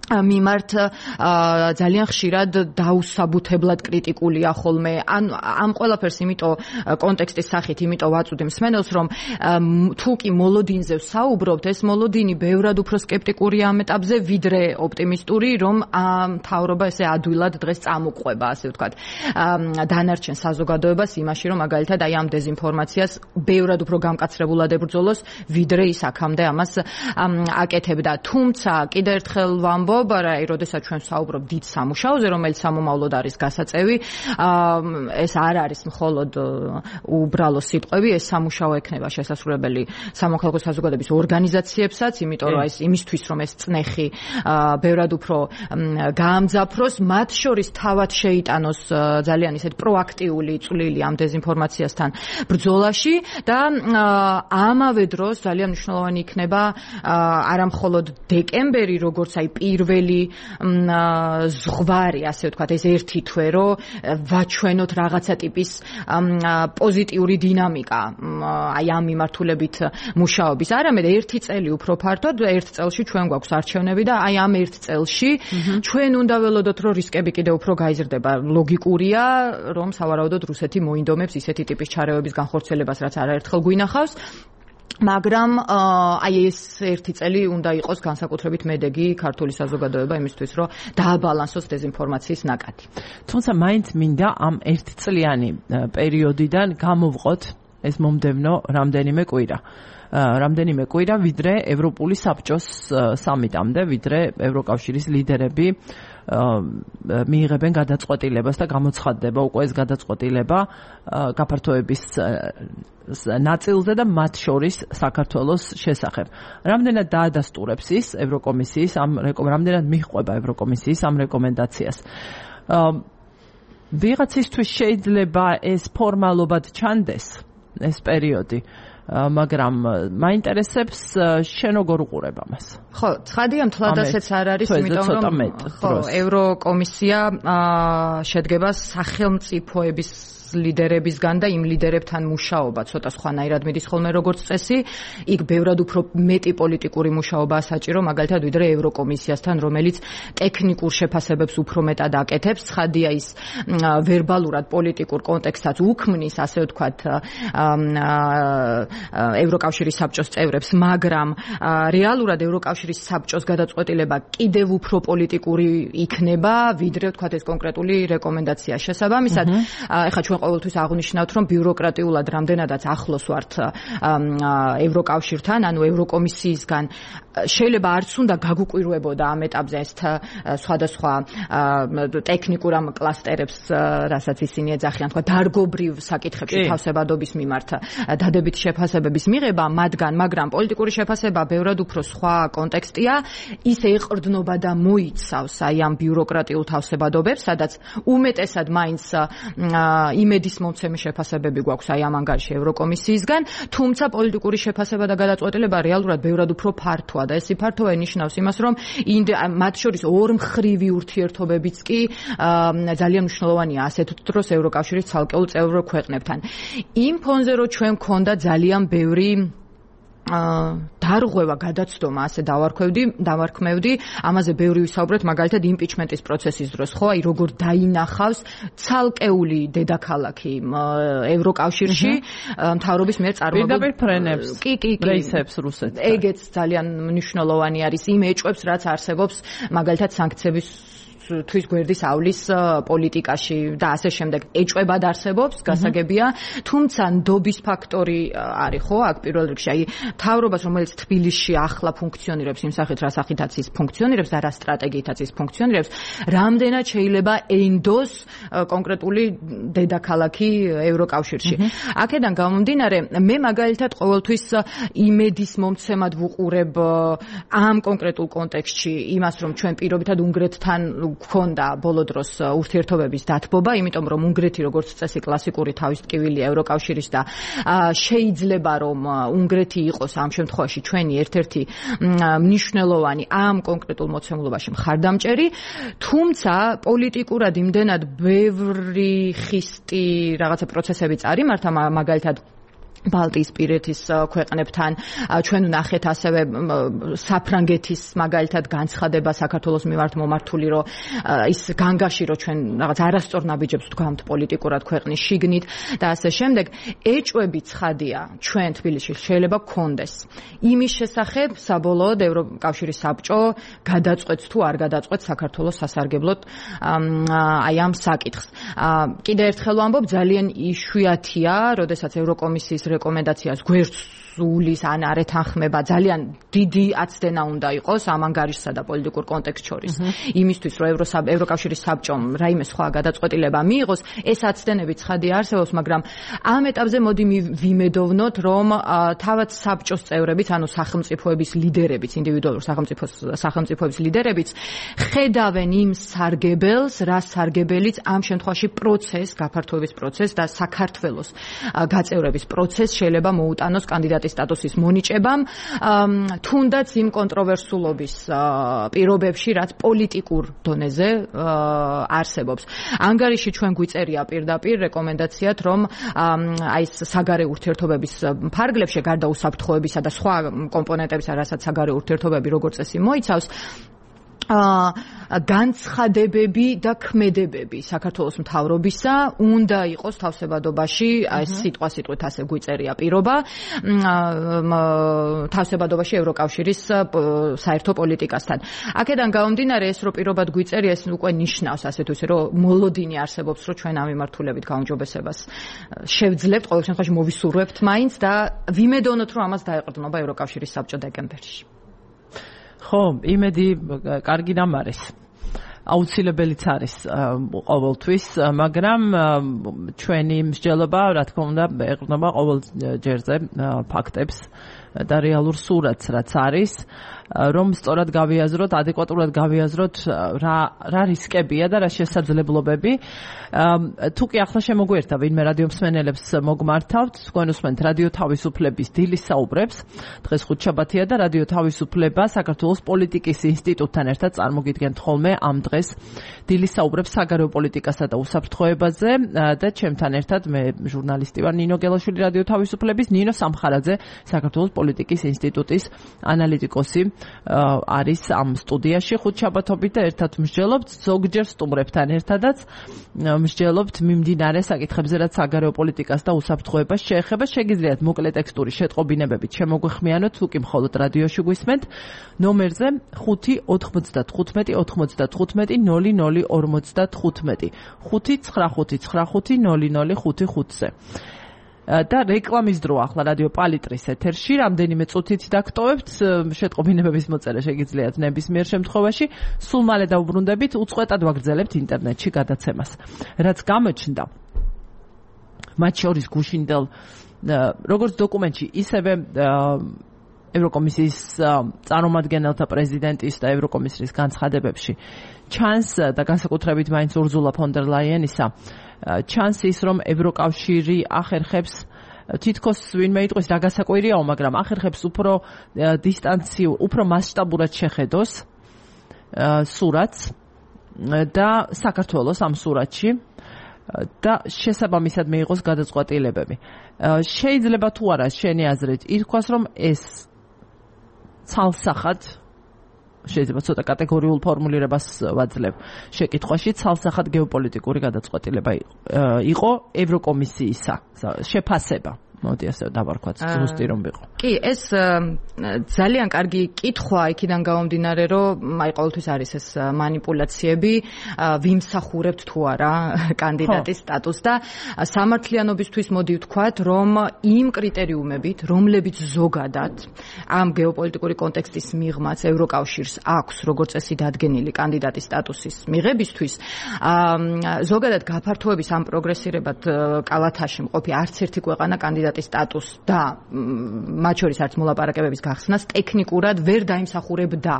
მიმართ ძალიან ხშირად დაუსაბუთებლად კრიტიკულია ხოლმე. ან ამ ყველაფერს იმიტომ კონტექსტის სახით იმიტომ ვაწვდი მსმენელს, რომ თუ კი მოლოდინზე ვსაუბრობთ, ეს მოლოდინი ბევრად უფრო სკეპტიკურია ამ ეტაპზე, ვიდრე ოპტიმისტური, რომ მთავრობა ესე ადვილად დღეს წამოყვება, ასე ვთქვათ, დანარჩენ საზოგადოებას იმაში, რომ მაგალითად აი ამ დეზინფორმაციას ბევრად უფრო გამკაცრებულად ებრძოლოს, ვიდრე ის აქამდე ამას აკეთებდა. თუმცა კიდევ ერთხელ ვამბობ, აი, როდესაც ჩვენ ვსაუბრობ დიდ სამუშაოზე, რომელიც სამომავლოდ არის გასაწევი, ეს არ არის მხოლოდ უბრალო სიტყვები, ეს სამუშაო ექნება შესასრულებელი სამოქალაქო საზოგადოების ორგანიზაციებსაც, იმიტომ რომ ეს იმისთვის, რომ ეს წნეხი ბევრად უფრო გაამძაფროს, მათ შორის თავად შეიტანოს ძალიან ისეთ პროაქტიული წვლილი ამ დეზინფორმაციასთან ბრძოლაში და ამავე დროს ძალიან მნიშვნელოვანი იქნება არა მხოლოდ დეკემბერი, როგორც აი პირველი ზღვარი, ასე ვთქვათ, ეს ერთი თვე, რომ ვაჩვენოთ რაღაცა ტიპის პოზიტიური დინამიკა აი ამ მიმართულებით მუშაობის. არამედ ერთი წელი უფრო ფართოდ, ერთ წელში ჩვენ გვაქვს არჩევნები და აი ამ ერთ წელში ჩვენ უნდა ველოდოთ, რომ რისკები კიდევ უფრო გაიზრდება. ლოგიკურია, რომ სავარაუდოდ რუსეთი მოინდომებს ისეთი ტიპის ჩარევების განხორციელებას, რაც არაერთხელ გვინახავს. მაგრამ აი ეს ერთი წელი უნდა იყოს განსაკუთრებით მედეგი ქართული საზოგადოება იმისთვის, რომ დააბალანსოს დეზინფორმაციის ნაკადი. თუმცა მაინც მინდა ამ ერთწლიანი პერიოდიდან გამოვყოთ ეს მომდევნო რამდენიმე კვირა. რამდენიმე კვირა ვიდრე ევროპული საბჭოს სამიტამდე, ვიდრე ევროკავშირის ლიდერები მიიღებენ გადაწყვეტილებას და გამოცხადდება უკვე ეს გადაწყვეტილება გაფართოების ნაწილზე და მათ შორის საქართველოს შესახებ. Რამდენად დაადასტურებს ის ევროკომისიის ამ რამდენად მიჰყვება ევროკომისიის ამ რეკომენდაციას. ვიღაცისთვის შეიძლება ეს ფორმალობად ჩანდეს ეს პერიოდი, მაგრამ მაინტერესებს შენ როგორ უყურებ ამას. ხო, ცხადია მთლად ასეც არ არის, იმიტომ რომ ხო, ევროკომისია შედგება სახელმწიფოების ლიდერებისგან და იმ ლიდერებთან მუშაობა ცოტა სხვანაირად მიდის ხოლმე როგორც წესი. იქ ბევრად უფრო მეტი პოლიტიკური მუშაობაა საჭირო, მაგალითად ვიდრე ევროკომისიასთან, რომელიც ტექნიკურ შეფასებებს უფრო მეტად აკეთებს. ცხადია ის ვერბალურად პოლიტიკურ კონტექსტსაც უქმნის, ასე ვთქვათ, ევროკავშირის საბჭოს წევრებს, მაგრამ რეალურად ევროკავშირის საბჭოს გადაწყვეტილება კიდევ უფრო პოლიტიკური იქნება, ვიდრე ვთქვათ ეს კონკრეტული რეკომენდაცია. შესაბამისად, ეხლა ჩვენ ყოველთვის აღნიშნავთ, რომ ბიუროკრატიულად რამდენადაც ახლოს ვართ ევროკავშირთან, ანუ ევროკომისიისგან შეიძლება არც უნდა გაგუკვირვებოდა ამ ეტაპზე ეს სხვადასხვა ტექნიკურ ამ კლასტერებს, რასაც ისინი ეძახიან, თქვა დარგობრივ საკითხებში თავსებადობის მიმართ დადებითი შეფასებების მიღება მათგან, მაგრამ პოლიტიკური შეფასება ბევრად უფრო სხვა კონტექსტია, ის ეყრდნობა და მოიცავს აი ამ ბიუროკრატიულ თავსებადობებს, სადაც უმეტესად მაინც იმედის მომცემი შეფასებები გვაქვს აი ამ ანგარიში ევროკომისიისგან, თუმცა პოლიტიკური შეფასება და გადაწყვეტილება რეალურად ბევრად უფრო ფართოა და ეს ფართოა ნიშნავს იმას, რომ მათ შორის ორმხრივი ურთიერთობებიც კი ძალიან მნიშვნელოვანია ასეთ დროს ევროკავშირის ცალკეულ წევრ ქვეყნებთან. იმ ფონზე რომ ჩვენ გქონდა ძალიან ბევრი დარღვევა, გადაცდომა, ასე დავარქვევდი, დავარქმევდი, ამაზე ბევრი ვისაუბრეთ, მაგალითად იმპიჩმენტის პროცესის დროს, ხო, აი როგორ დაინახავს ცალკეული დედაქალაქი ევროკავშირში მთავრობის მიერ წარმოებულ პირდაპირ ფრენებს, კი, კი, კი, რეისებს რუსეთთან. ეგეც ძალიან მნიშვნელოვანი არის იმ ეჭვებს, რაც არსებობს მაგალითად სანქციების თვის გვერდის ავლის პოლიტიკაში და ასე შემდეგ ეჭვებად არსებობს, გასაგებია, თუმცა ნდობის ფაქტორი არის, ხო, აქ პირველ რიგში, აი მთავრობას, რომელიც თბილისში ახლა ფუნქციონირებს იმ სახით, რა სახითაც ის ფუნქციონირებს და რა სტრატეგიითაც ის ფუნქციონირებს, რამდენად შეიძლება ენდოს კონკრეტული დედაქალაქი ევროკავშირში. აქედან გამომდინარე, მე მაგალითად ყოველთვის იმედის მომცემად ვუყურებ ამ კონკრეტულ კონტექსტში იმას, რომ ჩვენ პირობითად უნგრეთთან გქონდა ბოლო დროს ურთიერთობების დათბობა, იმიტომ რომ უნგრეთი როგორც წესი კლასიკური თავის ტკივილია ევროკავშირის და შეიძლება რომ უნგრეთი იყოს ამ შემთხვევაში ჩვენი ერთ-ერთი მნიშვნელოვანი ამ კონკრეტულ მოცემულობაში მხარდამჭერი, თუმცა პოლიტიკურად იმდენად ბევრი ხისტი რაღაცა პროცესები წარიმართა, მაგალითად ბალტიისპირეთის ქვეყნებთან, ჩვენ ვნახეთ ასევე საფრანგეთის მაგალითად განცხადება საქართველოს მიმართ მომართული, რომ ის განგაში, რომ ჩვენ რაღაც არასწორ ნაბიჯებს ვდგამთ პოლიტიკურად ქვეყნის შიგნით და ასე შემდეგ, ეჭვები ცხადია ჩვენ თბილისში შეიძლება გქონდეს. იმის შესახებ საბოლოოდ ევროკავშირის საბჭო გადაწყვეტს თუ არ გადაწყვეტს საქართველოს სასარგებლოდ აი ამ საკითხს. კიდევ ერთხელ ვამბობ, ძალიან იშვიათია, როდესაც ევროკომისიის რეკომენდაციას გვერდს სულის ან არ ეთანხმება, ძალიან დიდი აცდენა უნდა იყოს ამ ანგარიშსა და პოლიტიკურ კონტექსტ შორის. იმისთვის, რომ ევროკავშირის საბჭომ რაიმე სხვა გადაწყვეტილება მიიღოს, ეს აცდენები ცხადია არსებობს, მაგრამ ამ ეტაპზე მოდი ვიმედოვნოთ, რომ თავად საბჭოს წევრებიც, ანუ სახელმწიფოების ლიდერებიც, ინდივიდუალურ სახელმწიფოების ლიდერებიც ხედავენ იმ სარგებელს, რა სარგებელიც ამ შემთხვევაში პროცეს, გაფართოების პროცეს და საქართველოს გაწევრების პროცეს შეიძლება მოუტანოს კანდიდატის სტატუსის მონიჭებამ, თუნდაც იმ კონტროვერსულობის პირობებში, რაც პოლიტიკურ დონეზე არსებობს. ანგარიში ჩვენ გვიწერია პირდაპირ რეკომენდაციად, რომ აი ეს საგარეო ურთიერთობების ფარგლებში, გარდა უსაფრთხოებისა და სხვა კომპონენტებისა, რასაც საგარეო ურთიერთობები როგორც წესი მოიცავს, განცხადებები და ქმედებები საქართველოს მთავრობისა უნდა იყოს თავსებადობაში, ეს სიტყვა სიტყვით ასე გვიწერია პირობა, თავსებადობაში ევროკავშირის საერთო პოლიტიკასთან. აქედან გამომდინარე ეს რო პირობად გვიწერია, ეს უკვე ნიშნავს ასე თუ ისე რომ მოლოდინი არსებობს, რომ ჩვენ ამ მიმართულებით გაუმჯობესებას შევძლებთ, ყოველ შემთხვევაში მოვისურვებთ მაინც და ვიმედოვნოთ, რომ ამას დაეყრდნობა ევროკავშირის საბჭო დეკემბერში. ხო, იმედი კარგი რამ არის. აუცილებელიც არის ყოველთვის, მაგრამ ჩვენი მსჯელობა, რა თქმა უნდა, ეყრდნობა ყოველ ჯერზე ფაქტებს და რეალურ სურათს, რაც არის, რომ სწორად გავიაზროთ, ადეკვატურად გავიაზროთ რა რა რისკებია და რა შესაძლებლობები. თუ კი ახლა შემოგვერთა ვინმე რადიო მსმენელებს მოგმართავთ, თქვენ უსმენთ რადიო თავისუფლების დილის საუბრებს. დღეს ხუთშაბათია და რადიო თავისუფლება საქართველოს პოლიტიკის ინსტიტუტთან ერთად წარმოგიდგენთ ხოლმე ამ დღეს დილის საუბრებს საგარეო პოლიტიკასა და უსაფრთხოებაზე და ჩემთან ერთად მე ჟურნალისტი ვარ ნინო გელაშვილი რადიო თავისუფლების, ნინო სამხარაძე საქართველოს პოლიტიკის ინსტიტუტის ანალიტიკოსი არის ამ სტუდიაში ხუთშაბათობით და ერთად მსჯელობთ ზოგჯერ სტუმრებთან ერთადაც მსჯელობთ მიმდინარე საკითხებზე, რაც საგარეო პოლიტიკას და უსაფრთხოებას შეეხება. შეგიძლიათ მოკლე ტექსტური შეტყობინებებით შემოგვეხმიანოთ, თუ კი მხოლოდ რადიოში გვისმენთ ნომერზე ხუთი ოთხმოცდათხუთმეტი ოთხმოცდათხუთმეტი ნული ნული ორმოცდათხუთმეტი ხუთი ცხრა ხუთი ცხრა ხუთი ნული ნული ხუთი ხუთზე. და რეკლამის დრო ახლა რადიო პალიტრის ეთერში რამდენიმე წუთით დაგტოვებთ, შეტყობინებების მოწერა შეგიძლიათ ნებისმიერ შემთხვევაში. სულ მალე დავუბრუნდებით, უწყვეტად ვაგრძელებთ ინტერნეტში გადაცემას. რაც გამოჩნდა მათ შორის გუშინდელ როგორც დოკუმენტში, ისევე ევროკომისიის წარმომადგენელთა პრეზიდენტის და ევროკომისიის განცხადებებში ჩანს და განსაკუთრებით მაინც ურზულა ფონ დერ ლაიენისა ჩანს ის, რომ ევროკავშირი ახერხებს თითქოს ვინმე იტყვის რა გასაკვირიაო, მაგრამ ახერხებს უფრო დისტანციურ, უფრო მასშტაბურად შეხედოს სურათს და საქართველოს ამ სურათში და შესაბამისად მიიღოს გადაწყვეტილებები. შეიძლება თუ არა შენი აზრით ითქვას, რომ ეს ცალსახად შეიძლება ცოტა კატეგორიულ ფორმულირებას ვაძლევ შეკითხვაში, ცალსახად გეოპოლიტიკური გადაწყვეტილება იყო ევროკომისიისა შეფასება. მოდი ასე დავარქვათ, ზუსტი რომ ვიყო. კი, ეს ძალიან კარგი კითხვა იქიდან გამომდინარე, რომ აი ყოველთვის არის ეს манипуляციები, ვიმსახურებთ თუ არა კანდიდატის სტატუსს და სამართლიანობისთვის მოდი ვთქვათ, რომ იმ კრიტერიუმებით, რომლებიც ზოგადად ამ გეოპოლიტიკური კონტექსტის მიღმაც ევროკავშირს აქვს როგორც წესი დადგენილი კანდიდატის სტატუსის მიღებისთვის, ზოგადად გაფართოების ამ პროგრესირებად კალათაში მყოფი არც ერთი ქვეყანა კანდიდატის სტატუსს და მათ შორის არც მოლაპარაკებების გახსნას ტექნიკურად ვერ დაიმსახურებდა.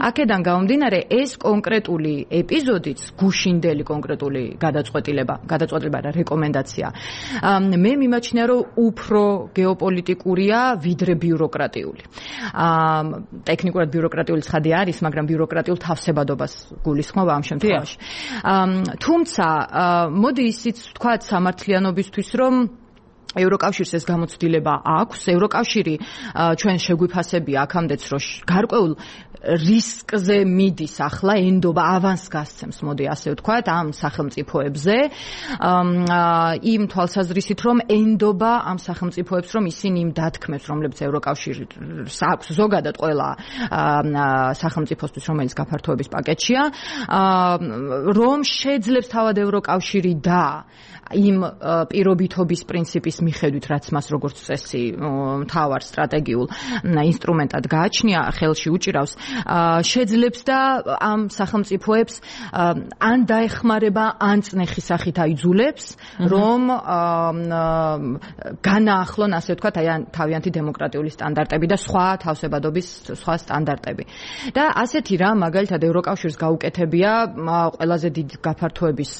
აქედან გამომდინარე, ეს კონკრეტული ეპიზოდიც, გუშინდელი კონკრეტული გადაწყვეტილება, გადაწყვეტილება და რეკომენდაცია, მე მიმაჩნია, რომ უფრო გეოპოლიტიკურია, ვიდრე ბიუროკრატიული. ტექნიკურად ბიუროკრატიული ცხადი არის, მაგრამ ბიუროკრატიულ თავსებადობას გულისხმობ ამ შემთხვევაში. თუმცა, მოდი ისიც ვთქვათ სამართლიანობისთვის, რომ ევროკავშირს ეს გამოცდილება აქვს. ევროკავშირი ჩვენ შეგვიფასებია აქამდეც, რომ გარკვეულ რისკზე მიდის ახლა, ენდობა ავანს გასცემს, მოდი ასე ვთქვათ, ამ სახელმწიფოებზე, იმ თვალსაზრისით, რომ ენდობა ამ სახელმწიფოებს, რომ ისინი იმ დათქმებს, რომლებიც ევროკავშირს აქვს ზოგადად ყველა სახელმწიფოსთვის, რომელიც გაფართოების პაკეტშია, რომ შეძლებს თავად ევროკავშირი და იმ პირობითობის პრინციპის მიხედვით, რაც მას როგორც წესი მთავარ სტრატეგიულ ინსტრუმენტად გააჩნია, ხელში უჭირავს, შეძლებს და ამ სახელმწიფოებს ან დაეხმარება, ან წნეხის სახით აიძულებს, რომ განაახლონ, ასე ვთქვათ, აი თავიანთი დემოკრატიული სტანდარტები და სხვა თავსებადობის სხვა სტანდარტები. და ასეთი რა, მაგალითად ევროკავშირს გაუკეთებია ყველაზე დიდ გაფართოების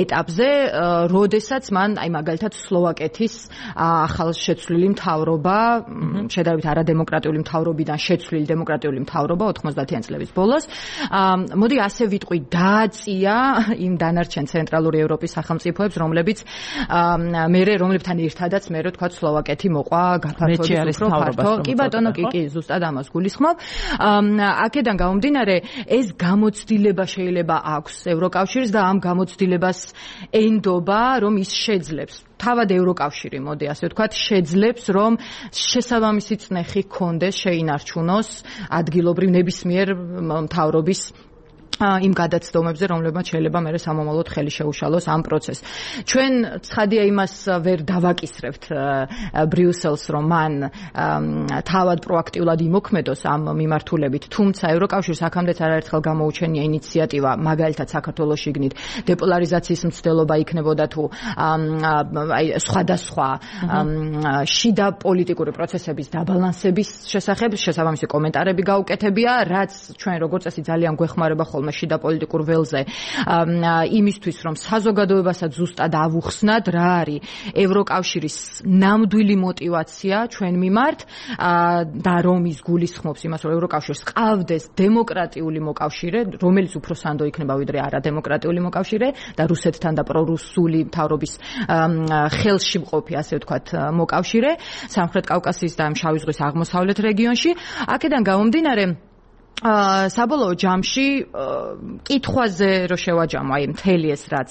ეტაპზე, როდესაც მან აი მაგალითად სლოვაკეთის ახალ შეცვლილი მთავრობა, შედარებით არადემოკრატიული მთავრობიდან შეცვლილი დემოკრატიული მთავრობა ოთხმოცდაათიან წლების ბოლოს. მოდი ასე ვიტყვი, დააწია იმ დანარჩენ ცენტრალური ევროპის სახელმწიფოებს, რომლებიც მერე რომლებთან ერთადაც მე რო თქვა სლოვაკეთი მოყვა გაფართოების უფრო ფართო. კი ბატონო, კი, კი, ზუსტად ამას გულისხმობ. აქედან გამომდინარე, ეს გამოცდილება შეიძლება აქვს ევროკავშირს და ამ გამოცდილებას ენდობა, რომ ის შეძლებს. თავად ევროკავშირი, მოდი ასე ვთქვათ, შეძლებს, რომ შესაბამისი წნეხი ჰქონდეს, შეინარჩუნოს ადგილობრივ ნებისმიერ მთავრობის იმ გადაცდომებზე, რომლებმაც შეიძლება მე სამომავლოდ ხელი შეუშალოს ამ პროცესს. ჩვენ ცხადია იმას ვერ დავაკისრებთ ბრიუსელს, რომ მან თავად პროაქტიულად იმოქმედოს ამ მიმართულებით, თუმცა ევროკავშირს აქამდეც არაერთხელ გამოუჩენია ინიციატივა, მაგალითად საქართველოს შიგნით დეპოლარიზაციის მცდელობა იქნებოდა თუ აი სხვადასხვა შიდა პოლიტიკური პროცესების დაბალანსების შესახებ შესაბამისი კომენტარები გაუკეთებია, რაც ჩვენ როგორც წესი ძალიან გვეხმარება ხოლმე შიდა პოლიტიკურ ველზე იმისთვის, რომ საზოგადოებასაც ზუსტად ავუხსნათ, რა არის ევროკავშირის ნამდვილი мотиваცია ჩვენ მიმართ და რომ ის გულისხმობს იმას, რომ ევროკავშირს ყავდეს დემოკრატიული მოკავშირე, რომელიც უფრო სანდო იქნება ვიდრე არადემოკრატიული მოკავშირე და რუსეთთან და პრორუსული მთავრობის ხელში მყოფი, ასე ვთქვათ, მოკავშირე სამხრეთ კავკასიის და შავი ზღვის აღმოსავლეთ რეგიონში. აქედან გამომდინარე, საბოლოო ჯამში კითხვაზე რო შევაჯამო, აი მთელი ეს რაც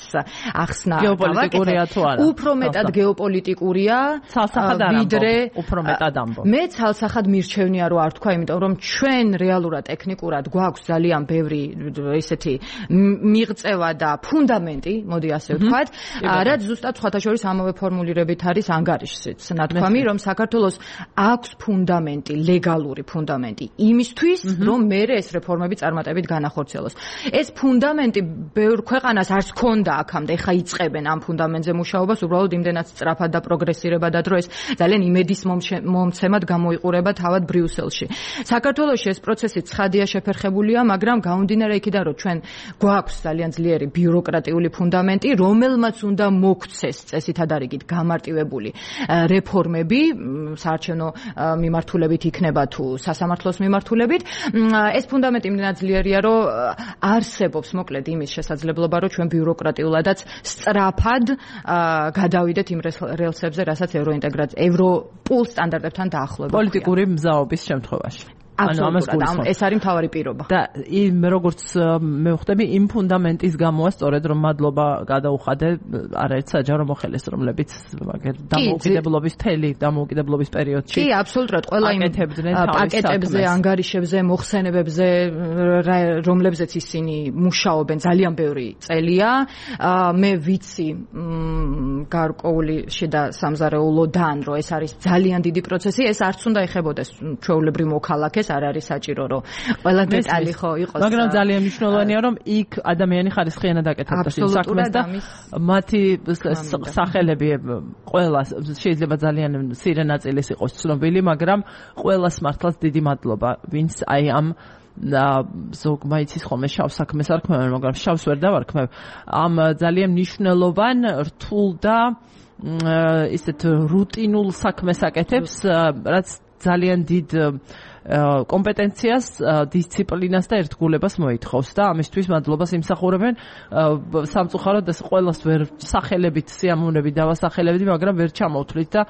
ახსნა გეოპოლიტიკურია თუ არა? უფრო მეტად გეოპოლიტიკურია, ვიდრე უფრო მეტად ამბობ. მე ცალსახად მირჩევნია რომ არ თქვა, იმიტომ რომ ჩვენ რეალურად ტექნიკურად გვაქვს ძალიან ბევრი ესეთი მიღწევა და ფუნდამენტი, მოდი ასე ვთქვათ, რაც ზუსტად სხვათა შორის ამავე ფორმულირებით არის ანგარიშშიც ნათქვამი, რომ საქართველოს აქვს ფუნდამენტი, ლეგალური ფუნდამენტი იმისთვის, რომ მერე ეს რეფორმები წარმატებით განახორციელოს. ეს ფუნდამენტი ბევრ ქვეყანას არც ჰქონდა აქამდე, ხა იწყებენ ამ ფუნდამენტზე მუშაობას, უბრალოდ იმდენად სწრაფად და პროგრესირებად და ეს ძალიან იმედის მომცემად გამოიყურება თავად ბრიუსელში. საქართველოში ეს პროცესი ცხადია შეფერხებულია, მაგრამ გამომდინარე იქიდან, რომ ჩვენ გვაქვს ძალიან ძლიერი ბიუროკრატიული ფუნდამენტი, რომელმაც უნდა მოგვცეს წესითა და რიგით გამარტივებული რეფორმები, საარჩევნო მიმართულებით იქნება თუ სასამართლოს მიმართულებით. ეს ფუნდამენტი იმდენად ძლიერია, რომ არსებობს მოკლედ იმის შესაძლებლობა, რომ ჩვენ ბიუროკრატიულადაც სწრაფად გადავიდეთ იმ რელსებზე, რასაც ევროინტეგრაცია, ევროპულ სტანდარტებთან დაახლოება. პოლიტიკური მზაობის შემთხვევაში. ანუ ამას გულისხმობ. ეს არის მთავარი პირობა. და იმ როგორც მე ვხვდები, იმ ფუნდამენტის გამოა სწორედ რომ მადლობა გადაუხადე არაერთ საჯარო მოხელეს, რომლებიც მაგერ დამოუკიდებლობის თელი დამოუკიდებლობის პერიოდში. კი, აბსოლუტურად ყველა იმ პაკეტებზე, ანგარიშებზე, მოხსენებებზე, რომლებზეც ისინი მუშაობენ ძალიან ბევრი წელია. მე ვიცი გარკვეული შიდა სამზარეულოდან, რომ ეს არის ძალიან დიდი პროცესი, ეს არც უნდა ეხებოდეს ჩვეულებრივ მოქალაქეს, არ არის საჭირო, რომ ყველა დეტალი ხო იყოს. მაგრამ ძალიან მნიშვნელოვანია, რომ იქ ადამიანი ხარისხიანად აკეთებდეს იმ საქმეს და მათი სახელები ყველა შეიძლება ძალიან მცირე ნაწილის იყოს ცნობილი, მაგრამ ყველას მართლაც დიდი მადლობა, ვინც აი ამ და ზოგ მაიცის ხოლმე შავ საქმეს არ ქმევენ, მაგრამ შავს ვერ დავარქმევ. ამ ძალიან მნიშვნელოვან, რთულ და ისეთ რუტინულ საქმეს აკეთებს, რაც ძალიან დიდ კომპეტენციას, დისციპლინას და ერთგულებას მოითხოვს და ამისთვის მადლობას იმსახურებენ. სამწუხაროდ ეს ყველას ვერ სახელებით, სიამოვნებით დავასახელებდი, მაგრამ ვერ ჩამოვთვლით და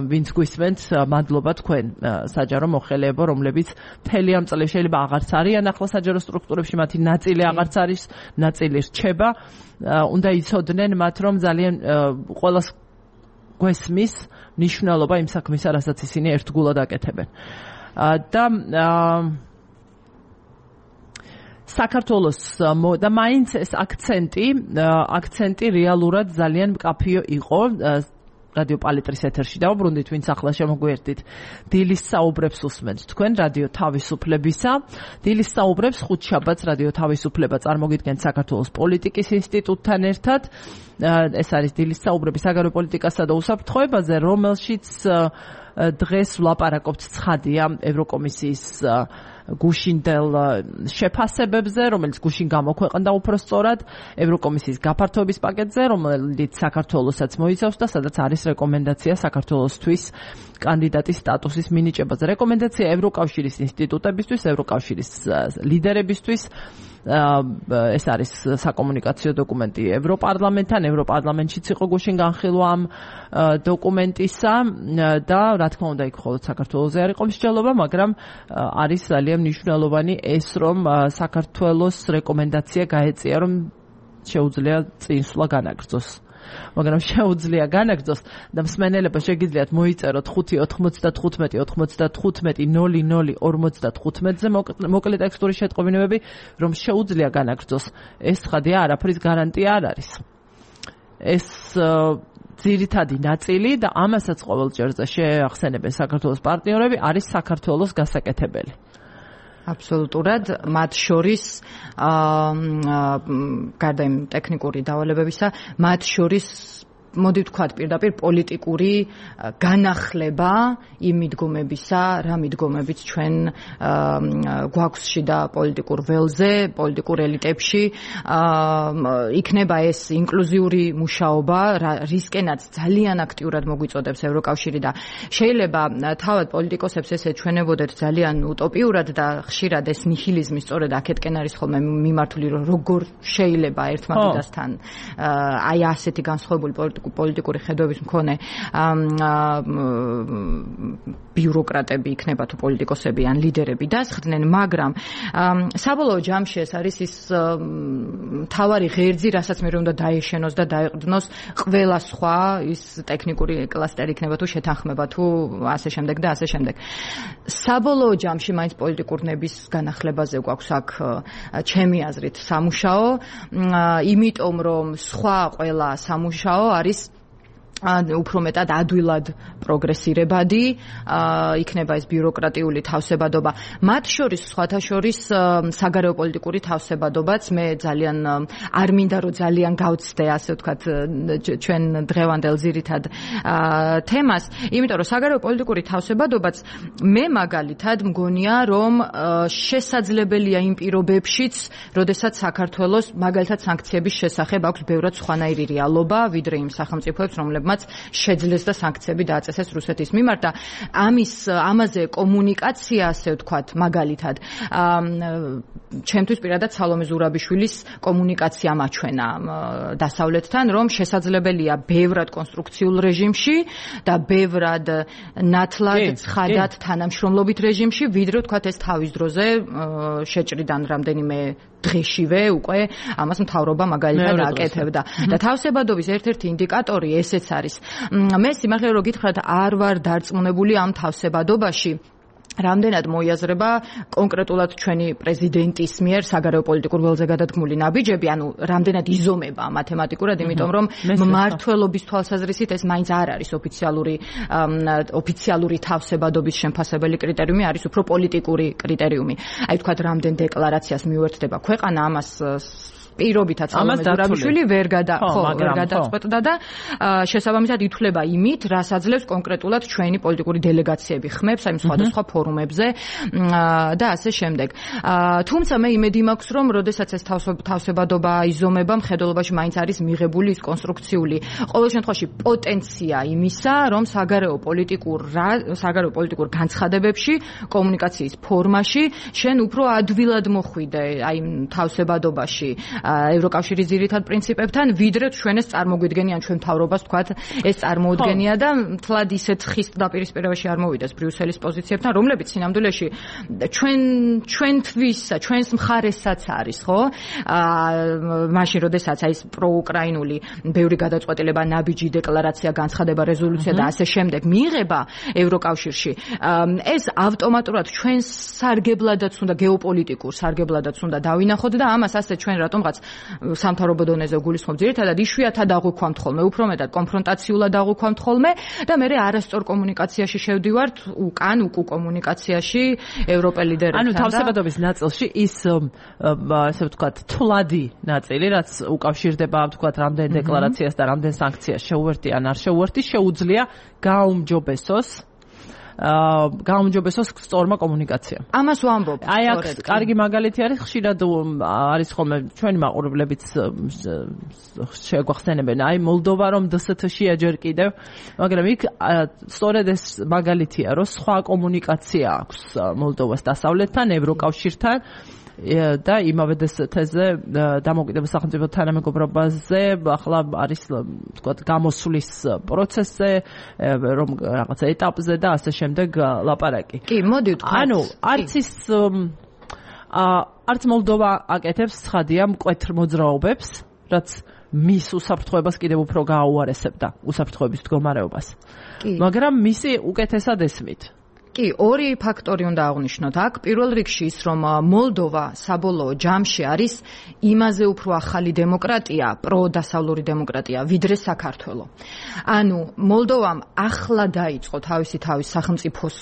ვინც გვისმენთ, მადლობა თქვენ საჯარო მოხელეებო, რომლებიც მთელი ამ წელი შეიძლება აღარც არიან ახლა საჯარო სტრუქტურებში, მათი ნაწილი აღარც არის, ნაწილი რჩება. უნდა იცოდნენ მათ, რომ ძალიან ყველას გვესმის მნიშვნელობა იმ საქმისა, რასაც ისინი ერთგულად აკეთებენ. და საქართველოს და მაინც ეს აქცენტი აქცენტი რეალურად ძალიან მკაფიო იყო რადიო პალიტრის ეთერში დავუბრუნდით, ვინც ახლა შემოგვიერთდით. დილის საუბრებს უსმენთ თქვენ რადიო თავისუფლებისა. დილის საუბრებს ხუთშაბათს რადიო თავისუფლება წარმოგიდგენთ საქართველოს პოლიტიკის ინსტიტუტთან ერთად. ეს არის დილის საუბრები საგარეო პოლიტიკასა და უსაფრთხოებაზე, რომელშიც დღეს ვლაპარაკობთ ცხადია ევროკომისიის გუშინდელ შეფასებებზე, რომელიც გუშინ გამოქვეყნდა უფრო სწორად ევროკომისიის გაფართოების პაკეტზე, რომელიც საქართველოსაც მოიცავს და სადაც არის რეკომენდაცია საქართველოსთვის კანდიდატის სტატუსის მინიჭებაზე. რეკომენდაცია ევროკავშირის ინსტიტუტებისთვის, ევროკავშირის ლიდერებისთვის. ეს არის საკომუნიკაციო დოკუმენტი ევროპარლამენტთან, ევროპარლამენტშიც იყო გუშინ განხილვა ამ დოკუმენტისა და რა თქმა უნდა იქ მხოლოდ საქართველოზე არ იყო მსჯელობა, მაგრამ არის ძალიან მნიშვნელოვანი ეს, რომ საქართველოს რეკომენდაცია გაეწია, რომ შეუძლია წინსვლა განაგრძოს. მაგრამ შეუძლია განაგრძოს და მსმენელებო შეგიძლიათ მოიწეროთ ხუთი ოთხმოცდათხუთმეტი ოთხმოცდათხუთმეტი ნული ნული ორმოცდათხუთმეტზე მოკლე ტექსტური შეტყობინებები, რომ შეუძლია განაგრძოს. ეს ცხადია, არაფრის გარანტია არ არის. ეს ძირითადი ნაწილი და ამასაც ყოველ ჯერზე შეახსენებენ საქართველოს პარტნიორები არის საქართველოს გასაკეთებელი. აბსოლუტურად, მათ შორის გარდა იმ ტექნიკური დავალებებისა, მათ შორის მოდი ვთქვათ პირდაპირ პოლიტიკური განახლება იმ მიდგომებისა, რა მიდგომებიც ჩვენ გვაქვს შიდა პოლიტიკურ ველზე, პოლიტიკურ ელიტებში, იქნება ეს ინკლუზიური მუშაობა, რისკენაც ძალიან აქტიურად მოგვიწოდებს ევროკავშირი და შეიძლება თავად პოლიტიკოსებს ეს ეჩვენებოდეთ ძალიან утоპიურად და ხშირად ეს ნიჰილიზმი სწორედ აქეთკენ არის ხოლმე მიმართული, რომ როგორ შეიძლება ერთმანეთთან აი ასეთი განსხვავებული პოლიტიკური ხედვების მქონე ბიუროკრატები იქნება თუ პოლიტიკოსები ან ლიდერები დასხდნენ, მაგრამ საბოლოო ჯამში ეს არის ის მთავარი ღერძი, რასაც მე უნდა დაეშენოს და დაეყრდნოს ყველა სხვა ის ტექნიკური კლასტერი იქნება თუ შეთანხმება თუ ასე შემდეგ და ასე შემდეგ. საბოლოო ჯამში მაინც პოლიტიკურ ნების განახლებაზე გვაქვს აქ ჩემი აზრით სამუშაო, იმიტომ რომ სხვა ყველა სამუშაო არის უფრო მეტად ადვილად პროგრესირებადი, იქნება ეს ბიუროკრატიული თავსებადობა. მათ შორის სხვათა შორის საგარეო პოლიტიკური თავსებადობაც მე ძალიან არ მინდა რომ ძალიან გავცდე, ასე ვთქვათ, ჩვენ დღევანდელ ძირითად თემას, იმიტომ რომ საგარეო პოლიტიკური თავსებადობაც მე მაგალითად მგონია, რომ შესაძლებელია იმ პირობებშიც, როდესაც საქართველოს მაგალითად სანქციების შესახებ აქვს ბევრად სხვანაირი რეალობა, ვიდრე იმ სახელმწიფოებს, რომლებმაც შეძლეს და სანქციები დააწესეს რუსეთის მიმართ და ამის ამაზე კომუნიკაცია, ასე ვთქვათ, მაგალითად ჩემთვის პირადად სალომე ზურაბიშვილის კომუნიკაცია მაჩვენა დასავლეთთან, რომ შესაძლებელია ბევრად კონსტრუქციულ რეჟიმში და ბევრად ნათლად, ცხადად თანამშრომლობით რეჟიმში, ვიდრე ვთქვათ ეს თავის დროზე შეჭრიდან რამდენიმე დღეშივე უკვე ამას მთავრობა მაგალითად აკეთებდა. და თავსებადობის ერთ-ერთი ინდიკატორი ესეც არის. მე სიმართლე რომ გითხრათ, არ ვარ დარწმუნებული ამ თავსებადობაში რამდენად მოიაზრება კონკრეტულად ჩვენი პრეზიდენტის მიერ საგარეო პოლიტიკურ ველზე გადადგმული ნაბიჯები, ანუ რამდენად იზომება მათემატიკურად, იმიტომ რომ მმართველობის თვალსაზრისით ეს მაინც არ არის ოფიციალური ოფიციალური თავსებადობის შემფასებელი კრიტერიუმი, არის უფრო პოლიტიკური კრიტერიუმი. აი ვთქვათ, რამდენ დეკლარაციას მიუერთდება ქვეყანა, ამას პირობითაც სალომე ზურაბიშვილი ვერ გადა ხო ვერ გადაწყვეტდა და შესაბამისად ითვლება იმით, რაც აძლევს კონკრეტულად ჩვენი პოლიტიკური დელეგაციები ხმებს აი სხვადასხვა ფორუმებზე და ასე შემდეგ. თუმცა მე იმედი მაქვს, რომ როდესაც ეს თავსებადობა იზომება, მხედველობაში მაინც არის მიღებული ის კონსტრუქციული ყოველ შემთხვევაში პოტენცია იმისა, რომ საგარეო პოლიტიკურ საგარეო პოლიტიკურ განცხადებებში, კომუნიკაციის ფორმაში შენ უფრო ადვილად მოხვიდე აი თავსებადობაში ევროკავშირის ძირითად პრინციპებთან, ვიდრე ჩვენ ეს წარმოგვიდგენიან ჩვენ მთავრობას, ვთქვათ, ეს წარმოუდგენია და მთლად ისეთ ხის დაპირისპირებაში არ მოვიდეს ბრიუსელის პოზიციებთან, რომლებიც სინამდვილეში ჩვენ ჩვენთვის, ჩვენს მხარესაც არის, ხო? მაშინ, როდესაც აი ეს პროუკრაინული ბევრი გადაწყვეტილება, ნაბიჯი, დეკლარაცია, განცხადება, რეზოლუცია და ასე შემდეგ მიიღება ევროკავშირში, ეს ავტომატურად ჩვენს სარგებლადაც უნდა გეოპოლიტიკურ სარგებლადაც უნდა დავინახოთ და ამას ასე ჩვენ რატომღაც სამთავრობო დონეზე გულისხმობ, ძირითადად იშვიათად აღვიქვამთ ხოლმე, უფრო მეტად კონფრონტაციულად აღვიქვამთ ხოლმე და მე არასწორ კომუნიკაციაში შევდივართ, უკან უკუ კომუნიკაციაში ევროპელ ლიდერებთან. ანუ თავსებადობის ნაწილში ის ასე ვთქვათ, თვლადი ნაწილი, რაც უკავშირდება, ვთქვათ, რამდენ დეკლარაციას და რამდენ სანქციას შეუერთი ან არ შეუერთი, შეუძლია გააუმჯობესოს გაუმჯობესოს სწორმა კომუნიკაციამ. ამას ვამბობ. აი აქ კარგი მაგალითი არის, ხშირად არის ხოლმე ჩვენი მაყურებლებიც შეგვახსენებენ. აი მოლდოვა რომ დ ეს თ-ში აჯერ კიდევ, მაგრამ იქ სწორედ ეს მაგალითია, რომ სხვა კომუნიკაცია აქვს მოლდოვას დასავლეთთან, ევროკავშირთან და იმავე დ ეს თ-ზე დამოუკიდებელ სახელმწიფო თანამეგობრობაზე ახლა არის თქვა გამოსვლის პროცესზე, რომ რაღაცა ეტაპზე და ასე შემდეგ ლაპარაკი. კი, მოდი ვთქვათ. ანუ არც ის არც მოლდოვა აკეთებს ცხადია მკვეთრ მოძრაობებს, რაც მის უსაფრთხოებას კიდევ უფრო გააუარესებდა უსაფრთხოების მდგომარეობას. მაგრამ მისი უკეთესად ესმით. კი, ორი ფაქტორი უნდა აღვნიშნოთ აქ. პირველ რიგში ის, რომ მოლდოვა საბოლოო ჯამში არის იმაზე უფრო ახალი დემოკრატია, პროდასავლური დემოკრატია, ვიდრე საქართველო. ანუ მოლდოვამ ახლა დაიწყო თავისი თავის სახელმწიფოს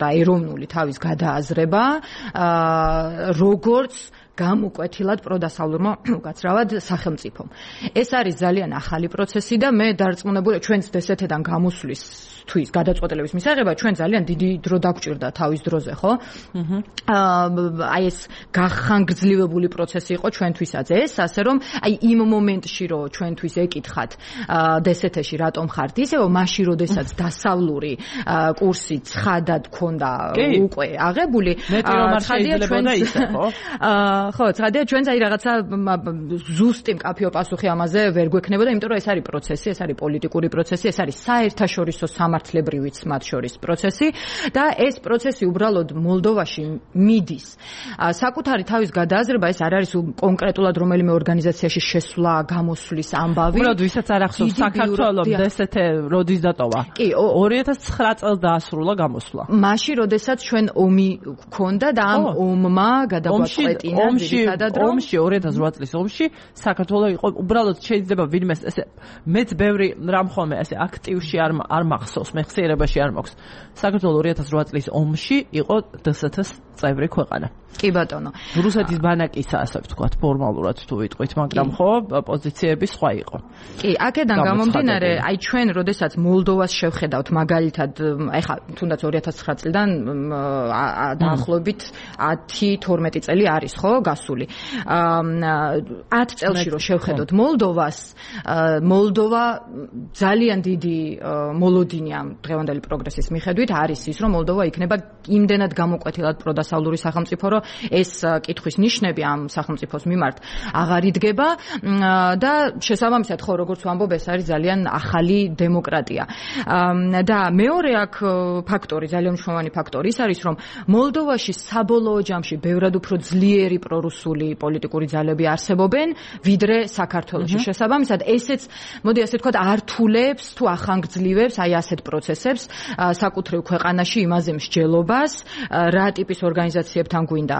და ეროვნული თავის გადააზრება, როგორც გამოკვეთილად პროდასავლურმა უკაცრავად სახელმწიფომ. ეს არის ძალიან ახალი პროცესი და მე დარწმუნებული ჩვენც დ ეს თ-დან გამოსვლის თვის გადაწყვეტილების მისაღება ჩვენ ძალიან დიდი დრო დაგვჭირდა თავის დროზე, ხო? აი ეს გახანგრძლივებული პროცესი იყო ჩვენთვისაც ეს, ასე რომ აი იმ მომენტში რომ ჩვენთვის ეკითხათ დ ეს თ-ში რატომ ხართ ისევ, მაშინ როდესაც დასავლური კურსი ცხადად ქონდა უკვე აღებული, ცხადია ჩვენს ისე, ხო? ხო, ცხადია ჩვენც აი რაღაცა ზუსტი მკაფიო პასუხი ამაზე ვერ გვექნებოდა, იმიტომ რომ ეს არის პროცესი, ეს არის პოლიტიკური პროცესი, ეს არის საერთაშორისო სამართლებრივიც მათ შორის პროცესი და ეს პროცესი უბრალოდ მოლდოვაში მიდის. საკუთარი თავის გადააზრება ეს არ არის კონკრეტულად რომელიმე ორგანიზაციაში შესვლა, გამოსვლის ამბავი. უბრალოდ ვისაც არ ახსოვს საქართველოს დ ეს თ როდის დატოვა? კი, ორი ათას ცხრა წელს დაასრულა გამოსვლა. მაშინ როდესაც ჩვენ ომი გქონდა და ამ ომმა გადაგვაწყვეტინა ომში ორი ათას რვა წლის ომში საქართველოს იყო უბრალოდ შეიძლება ვინმეს ესე მეც ბევრი რამ ხოლმე ესე აქტივში არ არ მახსოვს, მეხსიერებაში არ მაქვს. საქართველოს ორი ათას რვა წლის ომში იყო დ ეს თ-ს წევრი ქვეყანა. კი ბატონო. რუსეთის ბანაკისა, ასე ვთქვათ, ფორმალურად თუ ვიტყვით, მაგრამ ხო, პოზიციები სხვა იყო. კი, აქედან გამომდინარე, აი ჩვენ როდესაც მოლდოვას შევხედავთ მაგალითად, ეხლა თუნდაც ორი ათას ცხრა წლიდან დაახლოებით ათი თორმეტი წელი არის, ხო, გასული. ათ წელში რო შევხედოთ მოლდოვას, მოლდოვა ძალიან დიდი მოლოდინია დღევანდელი პროგრესის მიხედვით არის ის, რომ მოლდოვა იქნება იმდენად გამოკვეთილად პროდასავლური სახელმწიფო, რომ ეს კითხვის ნიშნები ამ სახელმწიფოს მიმართ აღარ იდგება და შესაბამისად ხო როგორც ვამბობ, ეს არის ძალიან ახალი დემოკრატია. და მეორე აქ ფაქტორი, ძალიან მნიშვნელოვანი ფაქტორი ის არის, რომ მოლდოვაში საბოლოო ჯამში ბევრად უფრო ძლიერი პრორუსული პოლიტიკური ძალები არსებობენ, ვიდრე საქართველოში. შესაბამისად, ესეც, მოდი ასე ვთქვათ, ართულებს თუ ახანგრძლივებს აი ასეთ პროცესებს საკუთრივ ქვეყანაში იმაზე მსჯელობას, რა ტიპის ორგანიზაციებთან გვინდა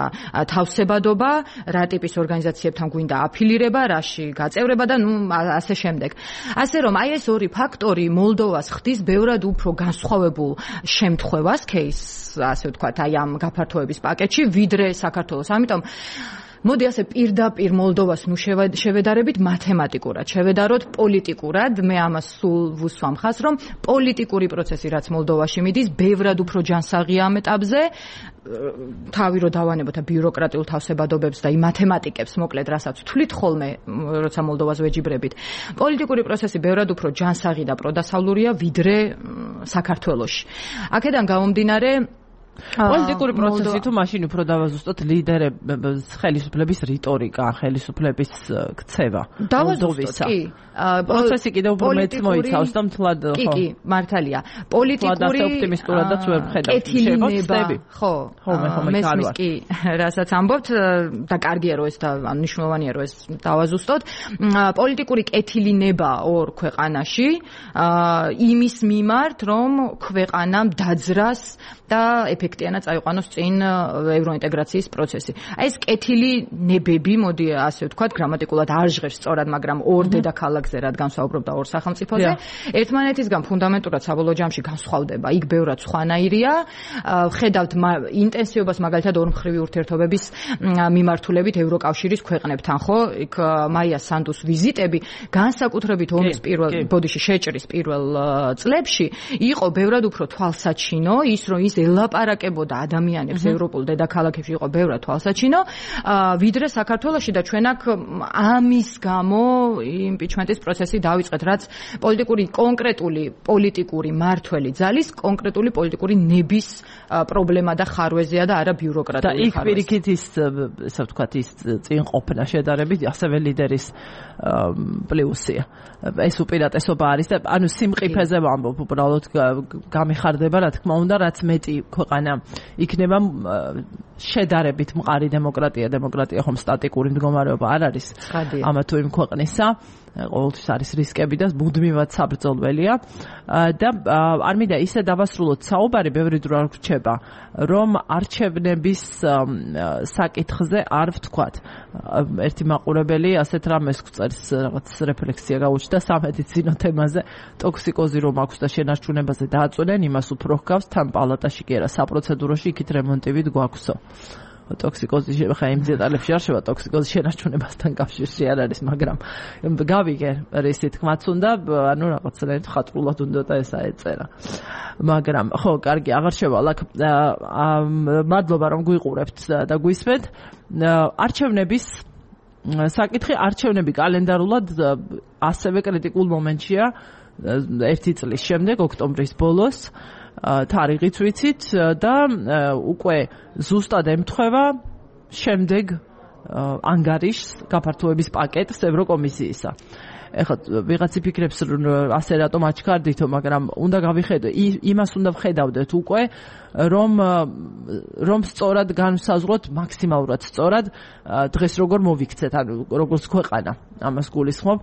თავსებადობა, რა ტიპის ორგანიზაციებთან გვინდა აფილირება, რაში გაწევრება და ნუ ასე შემდეგ. ასე რომ აი ეს ორი ფაქტორი მოლდოვას ხდის ბევრად უფრო განსხვავებულ შემთხვევას, кейსს, ასე ვთქვათ, აი ამ გაფართოების პაკეტში, ვიდრე საქართველოს. ამიტომ მოდი ასე პირდაპირ მოლდოვას ნუ შევედარებით მათემატიკურად, შევედაროთ პოლიტიკურად, მე ამას სულ ვუსვამ ხაზს, რომ პოლიტიკური პროცესი რაც მოლდოვაში მიდის, ბევრად უფრო ჯანსაღია ამ ეტაპზე, თავი რო დავანებოთ ბიუროკრატიულ თავსებადობებს და იმ მათემატიკებს, მოკლედ, რასაც ვთვლით ხოლმე, როცა მოლდოვას ვეჯიბრებით. პოლიტიკური პროცესი ბევრად უფრო ჯანსაღი და პროდასავლურია, ვიდრე საქართველოში. აქედან გამომდინარე პოლიტიკური პროცესი თუ მაშინ უფრო დავაზუსტოთ ლიდერების ხელისუფლების რიტორიკა, ხელისუფლების ქცევა. დავაზუსტოთ, კი. პროცესი კიდევ უფრო მეც მოიცავს და მთლად ხო. კი, კი, მართალია. პოლიტიკური ოპტიმისტურადაც ვერ ვხედავ. კეთილინება, ხო. ხო, მე ხომ მესმის კი, რასაც ამბობთ და კარგია რომ ეს და მნიშვნელოვანია რომ ეს დავაზუსტოთ. პოლიტიკური კეთილინება ორ ქვეყანაში იმის მიმართ, რომ ქვეყანამ დაძრას და ეფექტიანად წაიყვანოს წინ ევროინტეგრაციის პროცესი. აი ეს კეთილი ნებები, მოდი ასე ვთქვათ, გრამატიკულად არ ჟღერს სწორად, მაგრამ ორ დედაქალაქზე, რადგან საუბრობდა ორ სახელმწიფოზე, ერთმანეთისგან ფუნდამენტურად საბოლოო ჯამში განსხვავდება. იქ ბევრად სხვანაირია. ხედავთ ინტენსივობას მაგალითად ორმხრივი ურთიერთობების მიმართულებით ევროკავშირის ქვეყნებთან, ხო? იქ მაია სანდუს ვიზიტები განსაკუთრებით ომის პირველ ბოდიში შეჭრის პირველ წლებში იყო ბევრად უფრო თვალსაჩინო, ის რომ ის ელაპარაკებოდა ადამიანებს ევროპულ დედაქალაქებში იყო ბევრად თვალსაჩინო, ვიდრე საქართველოში და ჩვენ აქ ამის გამო იმპიჩმენტის პროცესი დავიწყეთ, რაც პოლიტიკური კონკრეტული პოლიტიკური მართველი ძალის კონკრეტული პოლიტიკური ნების პრობლემა და ხარვეზეა და არა ბიუროკრატიული ხარვეზი. და იქ პირიქით ის, ესე ვთქვათ, ის წინ ყოფნა შედარებით ასევე ლიდერის პლუსია. ეს უპირატესობა არის და ანუ სიმყიფეზე ვამბობ, უბრალოდ გამიხარდება, რა თქმა უნდა, რაც მეტი ქვეყანა იქნება შედარებით მყარი დემოკრატია, დემოკრატია ხომ სტატიკური მდგომარეობა არ არის ამა თუ იმ ქვეყნისა. ყოველთვის არის რისკები და მუდმივად საბრძოლველია და არ მინდა ისე დავასრულოთ საუბარი, ბევრი დრო არ გრჩება, რომ არჩევნების საკითხზე არ ვთქვათ. ერთი მაყურებელი ასეთ რამეს გვწერს, რაღაც რეფლექსია გაუჩნდა სამედიცინო თემაზე, ტოქსიკოზი რომ აქვს და შენარჩუნებაზე დააწვენენ, იმას უფრო ჰგავს, თან პალატაში კი არა, საპროცედუროში იქით რემონტივით გვაქვსო. ტოქსიკოზი ხა იმ დეტალებში არ შევა, ტოქსიკოზი შენარჩუნებასთან კავშირში არ არის, მაგრამ გავიგე რისი თქმაც უნდა, ანუ რაღაცნაირად ხატრულად უნდა და ეს აეწერა. მაგრამ ხო, კარგი, აღარ შევალ. მადლობა რომ გვიყურებთ და გვისმენთ. არჩევნების საკითხი, არჩევნები კალენდარულად ასევე კრიტიკულ მომენტშია ერთი წლის შემდეგ, ოქტომბრის ბოლოს. თარიღიც ვიცით და უკვე ზუსტად ემთხვევა შემდეგ ანგარიშს გაფართოების პაკეტს ევროკომისიისა. ეხლა ვიღაც იფიქრებს ასე რატომ აჩქარდითო, მაგრამ უნდა გავიხედო, იმას უნდა ვხედავდეთ უკვე, რომ რომ სწორად განვსაზღვროთ, მაქსიმალურად სწორად დღეს როგორ მოვიქცეთ, ანუ როგორც ქვეყანა. ამას გულისხმობ,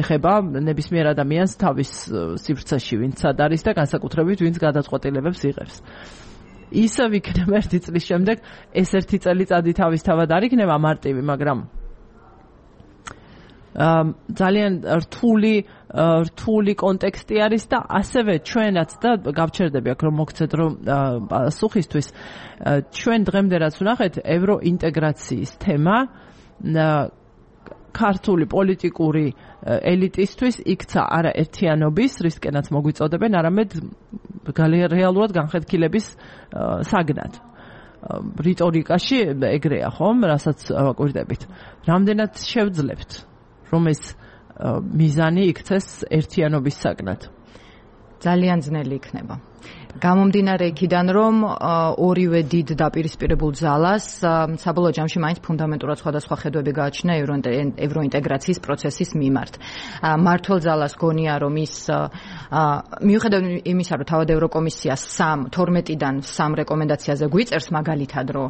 ეხება ნებისმიერ ადამიანს თავის სივრცეში, ვინც სად არის და განსაკუთრებით ვინც გადაწყვეტილებებს იღებს. ისე ვიქნება ერთი წლის შემდეგ, ეს ერთი წელიწადი თავისთავად არ იქნება მარტივი, მაგრამ ძალიან რთული რთული კონტექსტი არის და ასევე ჩვენაც და გავჩერდები აქ რომ მოგცეთ რომ პასუხისთვის ჩვენ დღემდე რაც ვნახეთ ევროინტეგრაციის თემა ქართული პოლიტიკური ელიტისთვის იქცა არა ერთიანობის, რისკენაც მოგვიწოდებენ, არამედ რეალურად განხეთქილების საგნად. რიტორიკაში ეგრეა ხომ, რასაც ვაკვირდებით. რამდენად შევძლებთ რომ ეს მიზანი იქცეს ერთიანობის საგნად? ძალიან ძნელი იქნება. გამომდინარე იქიდან, რომ ორივე დიდ დაპირისპირებულ ძალას საბოლოო ჯამში მაინც ფუნდამენტურად სხვადასხვა ხედვები გააჩნია ევროინტეგრაციის პროცესის მიმართ. მმართველ ძალას გონია, რომ ის მიუხედავად იმისა, რომ თავად ევროკომისია თორმეტიდან სამ რეკომენდაციაზე გვიწერს მაგალითად, რომ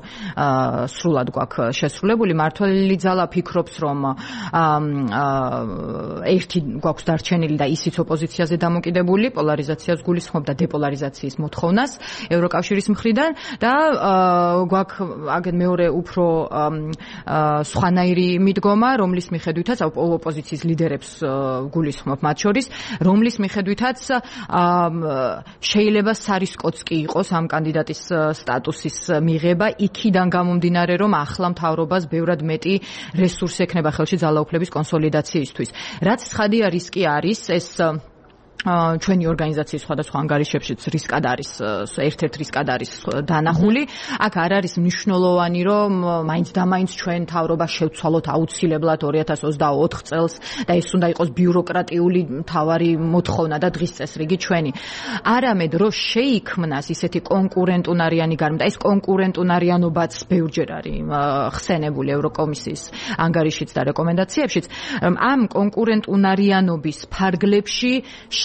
სრულად გვაქვს შესრულებული, მმართველი ძალა ფიქრობს, რომ ერთი გვაქვს დარჩენილი და ისიც ოპოზიციაზე დამოკიდებული, პოლარიზაციას გულისხმობ და დეპოლარიზაციის მოთხოვნას ევროკავშირის მხრიდან და გვაქვს აგენ მეორე უფრო სხვანაირი მიდგომა, რომლის მიხედვითაც ოპოზიციის ლიდერებს გულისხმობ მათ შორის, რომლის მიხედვითაც შეიძლება სარისკოც კი იყოს ამ კანდიდატის სტატუსის მიღება, იქიდან გამომდინარე, რომ ახლა მთავრობას ბევრად მეტი რესურსი ექნება ხელში ძალაუფლების კონსოლიდაციისთვის. რაც ცხადია რისკი არის, ეს ჩვენი ორგანიზაციის სხვადასხვა ანგარიშებშიც რისკად არის, ერთ-ერთ რისკად არის დანახული. აქ არ არის მნიშვნელოვანი, რომ მაინც და მაინც ჩვენ თავრობა შევცვალოთ აუცილებლად ორი ათას ოცდაოთხ წელს და ეს უნდა იყოს ბიუროკრატიული მთავარი მოთხოვნა და დღის წესრიგი ჩვენი. არამედ რომ შეიქმნას ისეთი კონკურენტუნარიანი გარემო და ეს კონკურენტუნარიანობაც ბევრჯერ არის ხსენებული ევროკომისიის ანგარიშიც და რეკომენდაციებშიც, ამ კონკურენტუნარიანობის ფარგლებში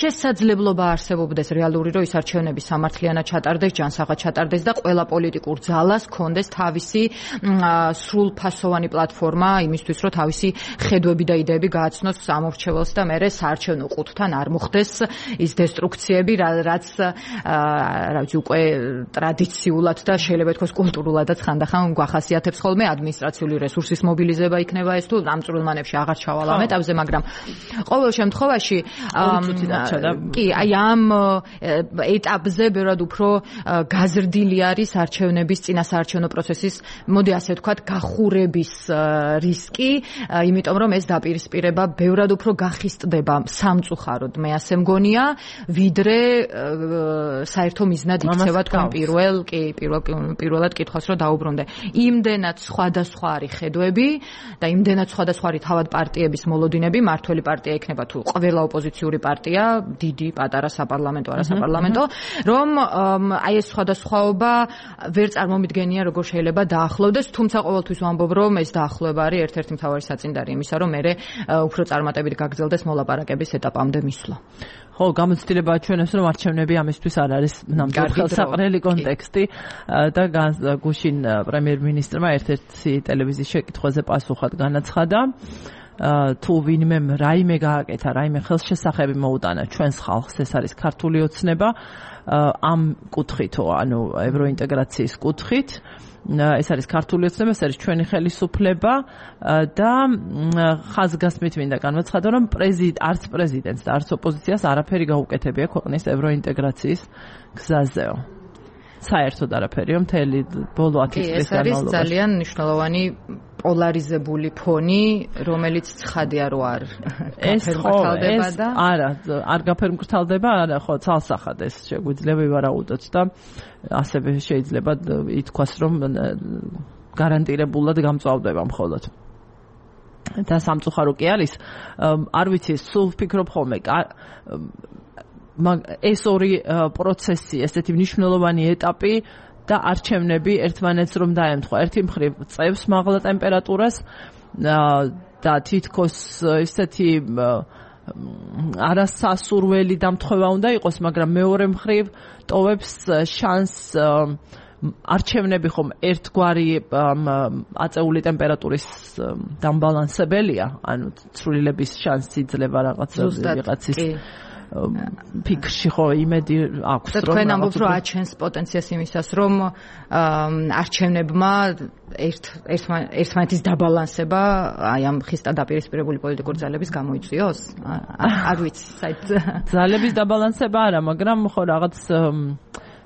შესაძლებლობა არსებობდეს რეალური რომ ის არჩევნები სამართლიანად ჩატარდეს, ჯანსაღად ჩატარდეს და ყველა პოლიტიკურ ძალას კონდეს თავისი სრულფასოვანი პლატფორმა იმისთვის რომ თავისი ხედვები და იდეები გააცნოს ამორჩეველს და მერე საარჩევნო ყუთთან არ მოხდეს ის დესტრუქციები, რაც რაც უკვე ტრადიციულად და შეიძლება თქოს კულტურულადაც ხანდახან გვახასიათებს ხოლმე ადმინისტრაციული რესურსის მობილიზება იქნება ეს თუ ამ წვრილმანებში აღარ ჩავალ ამ ეტაპზე, მაგრამ ყოველ შემთხვევაში კი, აი ამ ეტაპზე ბევრად უფრო გაზრდილი არის არჩევნების წინა საარჩევნო პროცესის, მოდი ასე ვთქვათ, გახურების რისკი, იმიტომ რომ ეს დაპირისპირება ბევრად უფრო გახისტდება სამწუხაროდ, მე ასე მგონია, ვიდრე საერთო მიზნად იქცევა თქვენ პირველ, კი, პირველ პირველად კითხვას რომ დაუბრუნდე. იმდენად სხვადასხვა არის ხედვები და იმდენად სხვადასხვა არის თავად პარტიების მოლოდინები, მართველი პარტია იქნება თუ ყველა ოპოზიციური პარტია, დიდი, პატარა, საპარლამენტო, არასაპარლამენტო, რომ აი ეს სხვადასხვაობა ვერ წარმომიდგენია როგორ შეიძლება დაახლოვდეს, თუმცა ყოველთვის ვამბობ, რომ ეს დაახლოება არის ერთ-ერთი მთავარი საწინდარი იმისა, რომ მე უფრო წარმატებით გაგრძელდეს მოლაპარაკების ეტაპამდე მისვლა. ხო, გამოცდილება ჩვენებს რომ არჩევნები ამისთვის არ არის ნამდვილად ხელსაყრელი კონტექსტი და გუშინ პრემიერ-მინისტრმა ერთ-ერთი ტელევიზიის შეკითხვაზე პასუხად განაცხადა, თუ ვინმე რაიმე გააკეთა, რაიმე ხელშესახები მოუტანა ჩვენს ხალხს, ეს არის ქართული ოცნება ამ კუთხითო, ანუ ევროინტეგრაციის კუთხით. ეს არის ქართული ოცნება, ეს არის ჩვენი ხელისუფლება და ხაზგასმით მინდა განვაცხადო, რომ პრეზიდენტ, არც პრეზიდენტს და არც ოპოზიციას არაფერი გაუკეთებია ქვეყნის ევროინტეგრაციის გზაზეო. საერთოდ არაფერია მთელი ბოლო ათი წლის განმავლობაში. ეს არის ძალიან მნიშვნელოვანი პოლარიზებული ფონი, რომელიც ცხადია რომ არ გაფერმკრთალდება და არა, არ გაფერმკრთალდება, არა, ხო, ცალსახად ეს შეგვიძლია ვივარაუდოთ და ასევე შეიძლება ითქვას, რომ გარანტირებულად გამწვავდება მხოლოდ. და სამწუხარო კი არის, არ ვიცი, სულ ვფიქრობ ხოლმე, ეს ორი პროცესი, ესეთი მნიშვნელოვანი ეტაპი და არჩევნები ერთმანეთს რომ დაემთხვა. ერთი მხრივ წევს მაღლა ტემპერატურას და თითქოს ესეთი არასასურველი დამთხოვა უნდა იყოს, მაგრამ მეორე მხრივ ტოვებს შანსს არჩევნები ხომ ერთგვარი აწეული ტემპერატურის დამბალანსებელია, ანუ ცვლილების შანსი ძლევა რაღაც ვიღაცის ფიქრში ხო იმედი აქვს რომ თქვენ ამბობთ რომ აჩენს პოტენციას იმისას რომ არჩევნებმა ერთ ერთმანეთის დაბალანსება აი ამ ხისტად დაპირისპირებული პოლიტიკური ძალების გამოიწვიოს? არ ვიცი, საერთოდ ძალების დაბალანსება არა, მაგრამ ხო რაღაც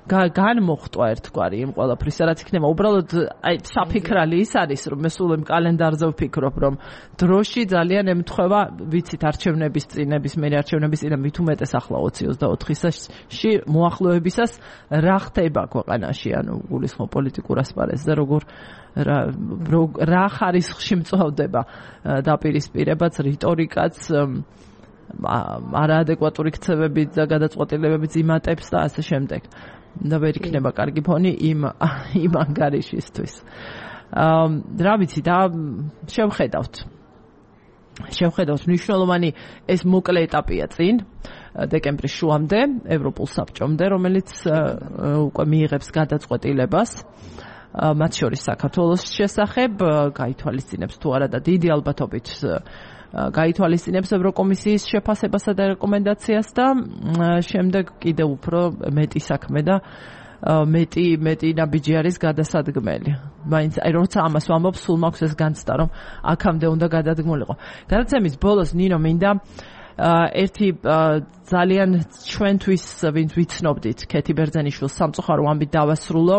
განმოხტვა ერთგვარი იმ ყველაფრის, რაც იქნება. უბრალოდ აი საფიქრალი ის არის, რომ მე სულ იმ კალენდარზე ვფიქრობ, რომ დროში ძალიან ემთხვევა, ვიცით, არჩევნების წინების, მე არჩევნების წინა მით უმეტეს ახლა ოცი ოცდაოთხში მოახლოებისას რა ხდება ქვეყანაში, ანუ გულისხმობ პოლიტიკურ ასპარეზზე, როგორ რა ხარისხში მწვავდება დაპირისპირებაც, რიტორიკაც, არაადეკვატური ქცევებით და გადაწყვეტილებებით იმატებს და ასე შემდეგ. და ვერ იქნება კარგი ფონი იმ იმ ანგარიშისთვის. რა ვიცი და შევხედავთ. შევხედავთ მნიშვნელოვანი ეს მოკლე ეტაპია წინ დეკემბრის შუამდე ევროპულ საბჭომდე, რომელიც უკვე მიიღებს გადაწყვეტილებას მათ შორის საქართველოს შესახებ, გაითვალისწინებს თუ არა და დიდი ალბათობით გაითვალისწინებს ევროკომისიის შეფასებასა და რეკომენდაციას და შემდეგ კიდევ უფრო მეტი საქმე და მეტი მეტი ნაბიჯი არის გადასადგმელი. მაინც აი როცა ამას ვამბობ, სულ მაქვს ეს განცდა, რომ აქამდე უნდა გადადგმულიყო. გადაცემის ბოლოს ნინო მინდა ერთი ძალიან ჩვენთვის ვინც ვიცნობდით ქეთი ბერძენიშვილს სამწუხარო ამბით დავასრულო.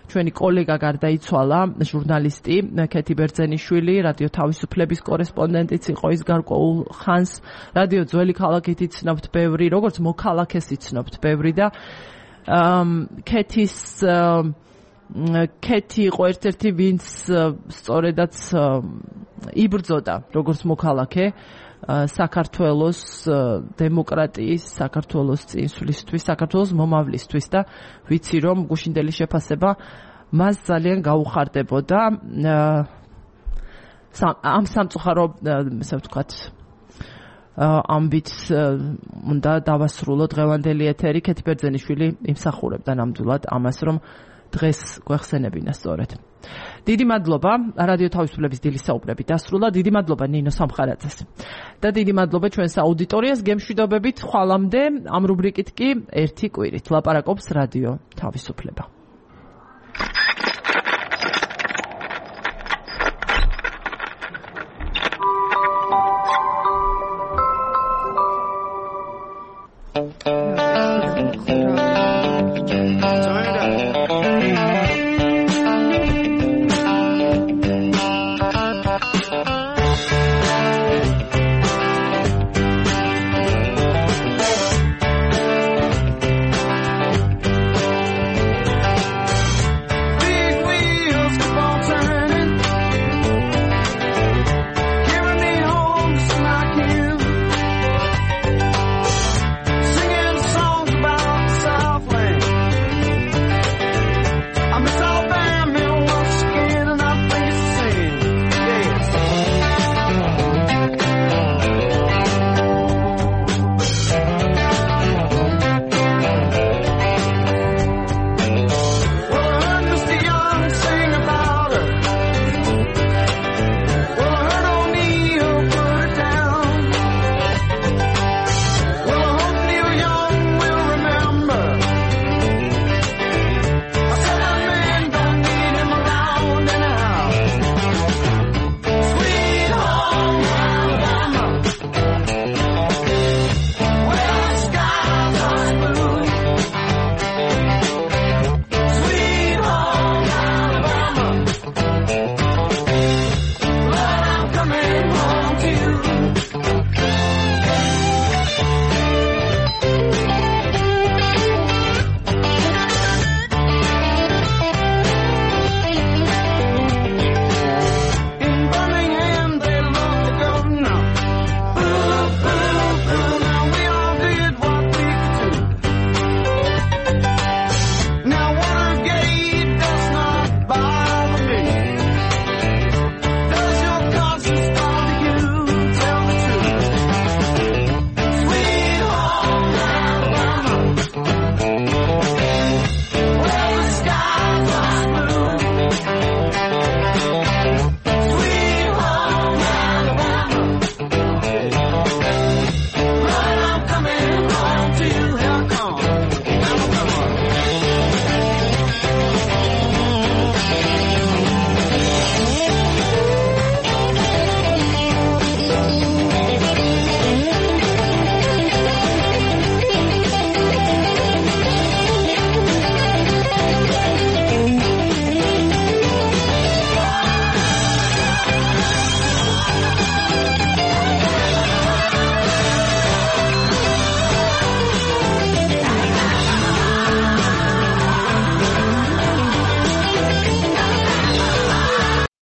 ჩვენი კოლეგა გარდაიცვალა, ჟურნალისტი ქეთი ბერძენიშვილი, რადიო თავისუფლების კორესპონდენტიც იყო ის გარკვეულ ხანს. რადიო ძველი ქალაქით იცნობთ ბევრი, როგორც მოქალაქეს იცნობთ ბევრი და ქეთის ქეთი იყო ერთ-ერთი ვინც სწორედაც იბრძოდა როგორც მოქალაქე საქართველოს დემოკრატიის, საქართველოს წინსვლისთვის, საქართველოს მომავლისთვის და ვიცი რომ გუშინდელი შეფასება მას ძალიან გაუხარდებოდა ამ სამწუხარო, ასე ვთქვათ, ამბით უნდა დავასრულო დღევანდელი ეთერი. ქეთი ბერძენიშვილი იმსახურებდა ნამდვილად ამას, რომ დღეს გვეხსენებინა სწორედ. დიდი მადლობა რადიო თავისუფლების დილის საუბრები დასრულა. დიდი მადლობა ნინო სამხარაძეს და დიდი მადლობა ჩვენს აუდიტორიას. გემშვიდობებით ხვალამდე ამ რუბრიკით კი ერთი კვირით ლაპარაკობს რადიო თავისუფლება.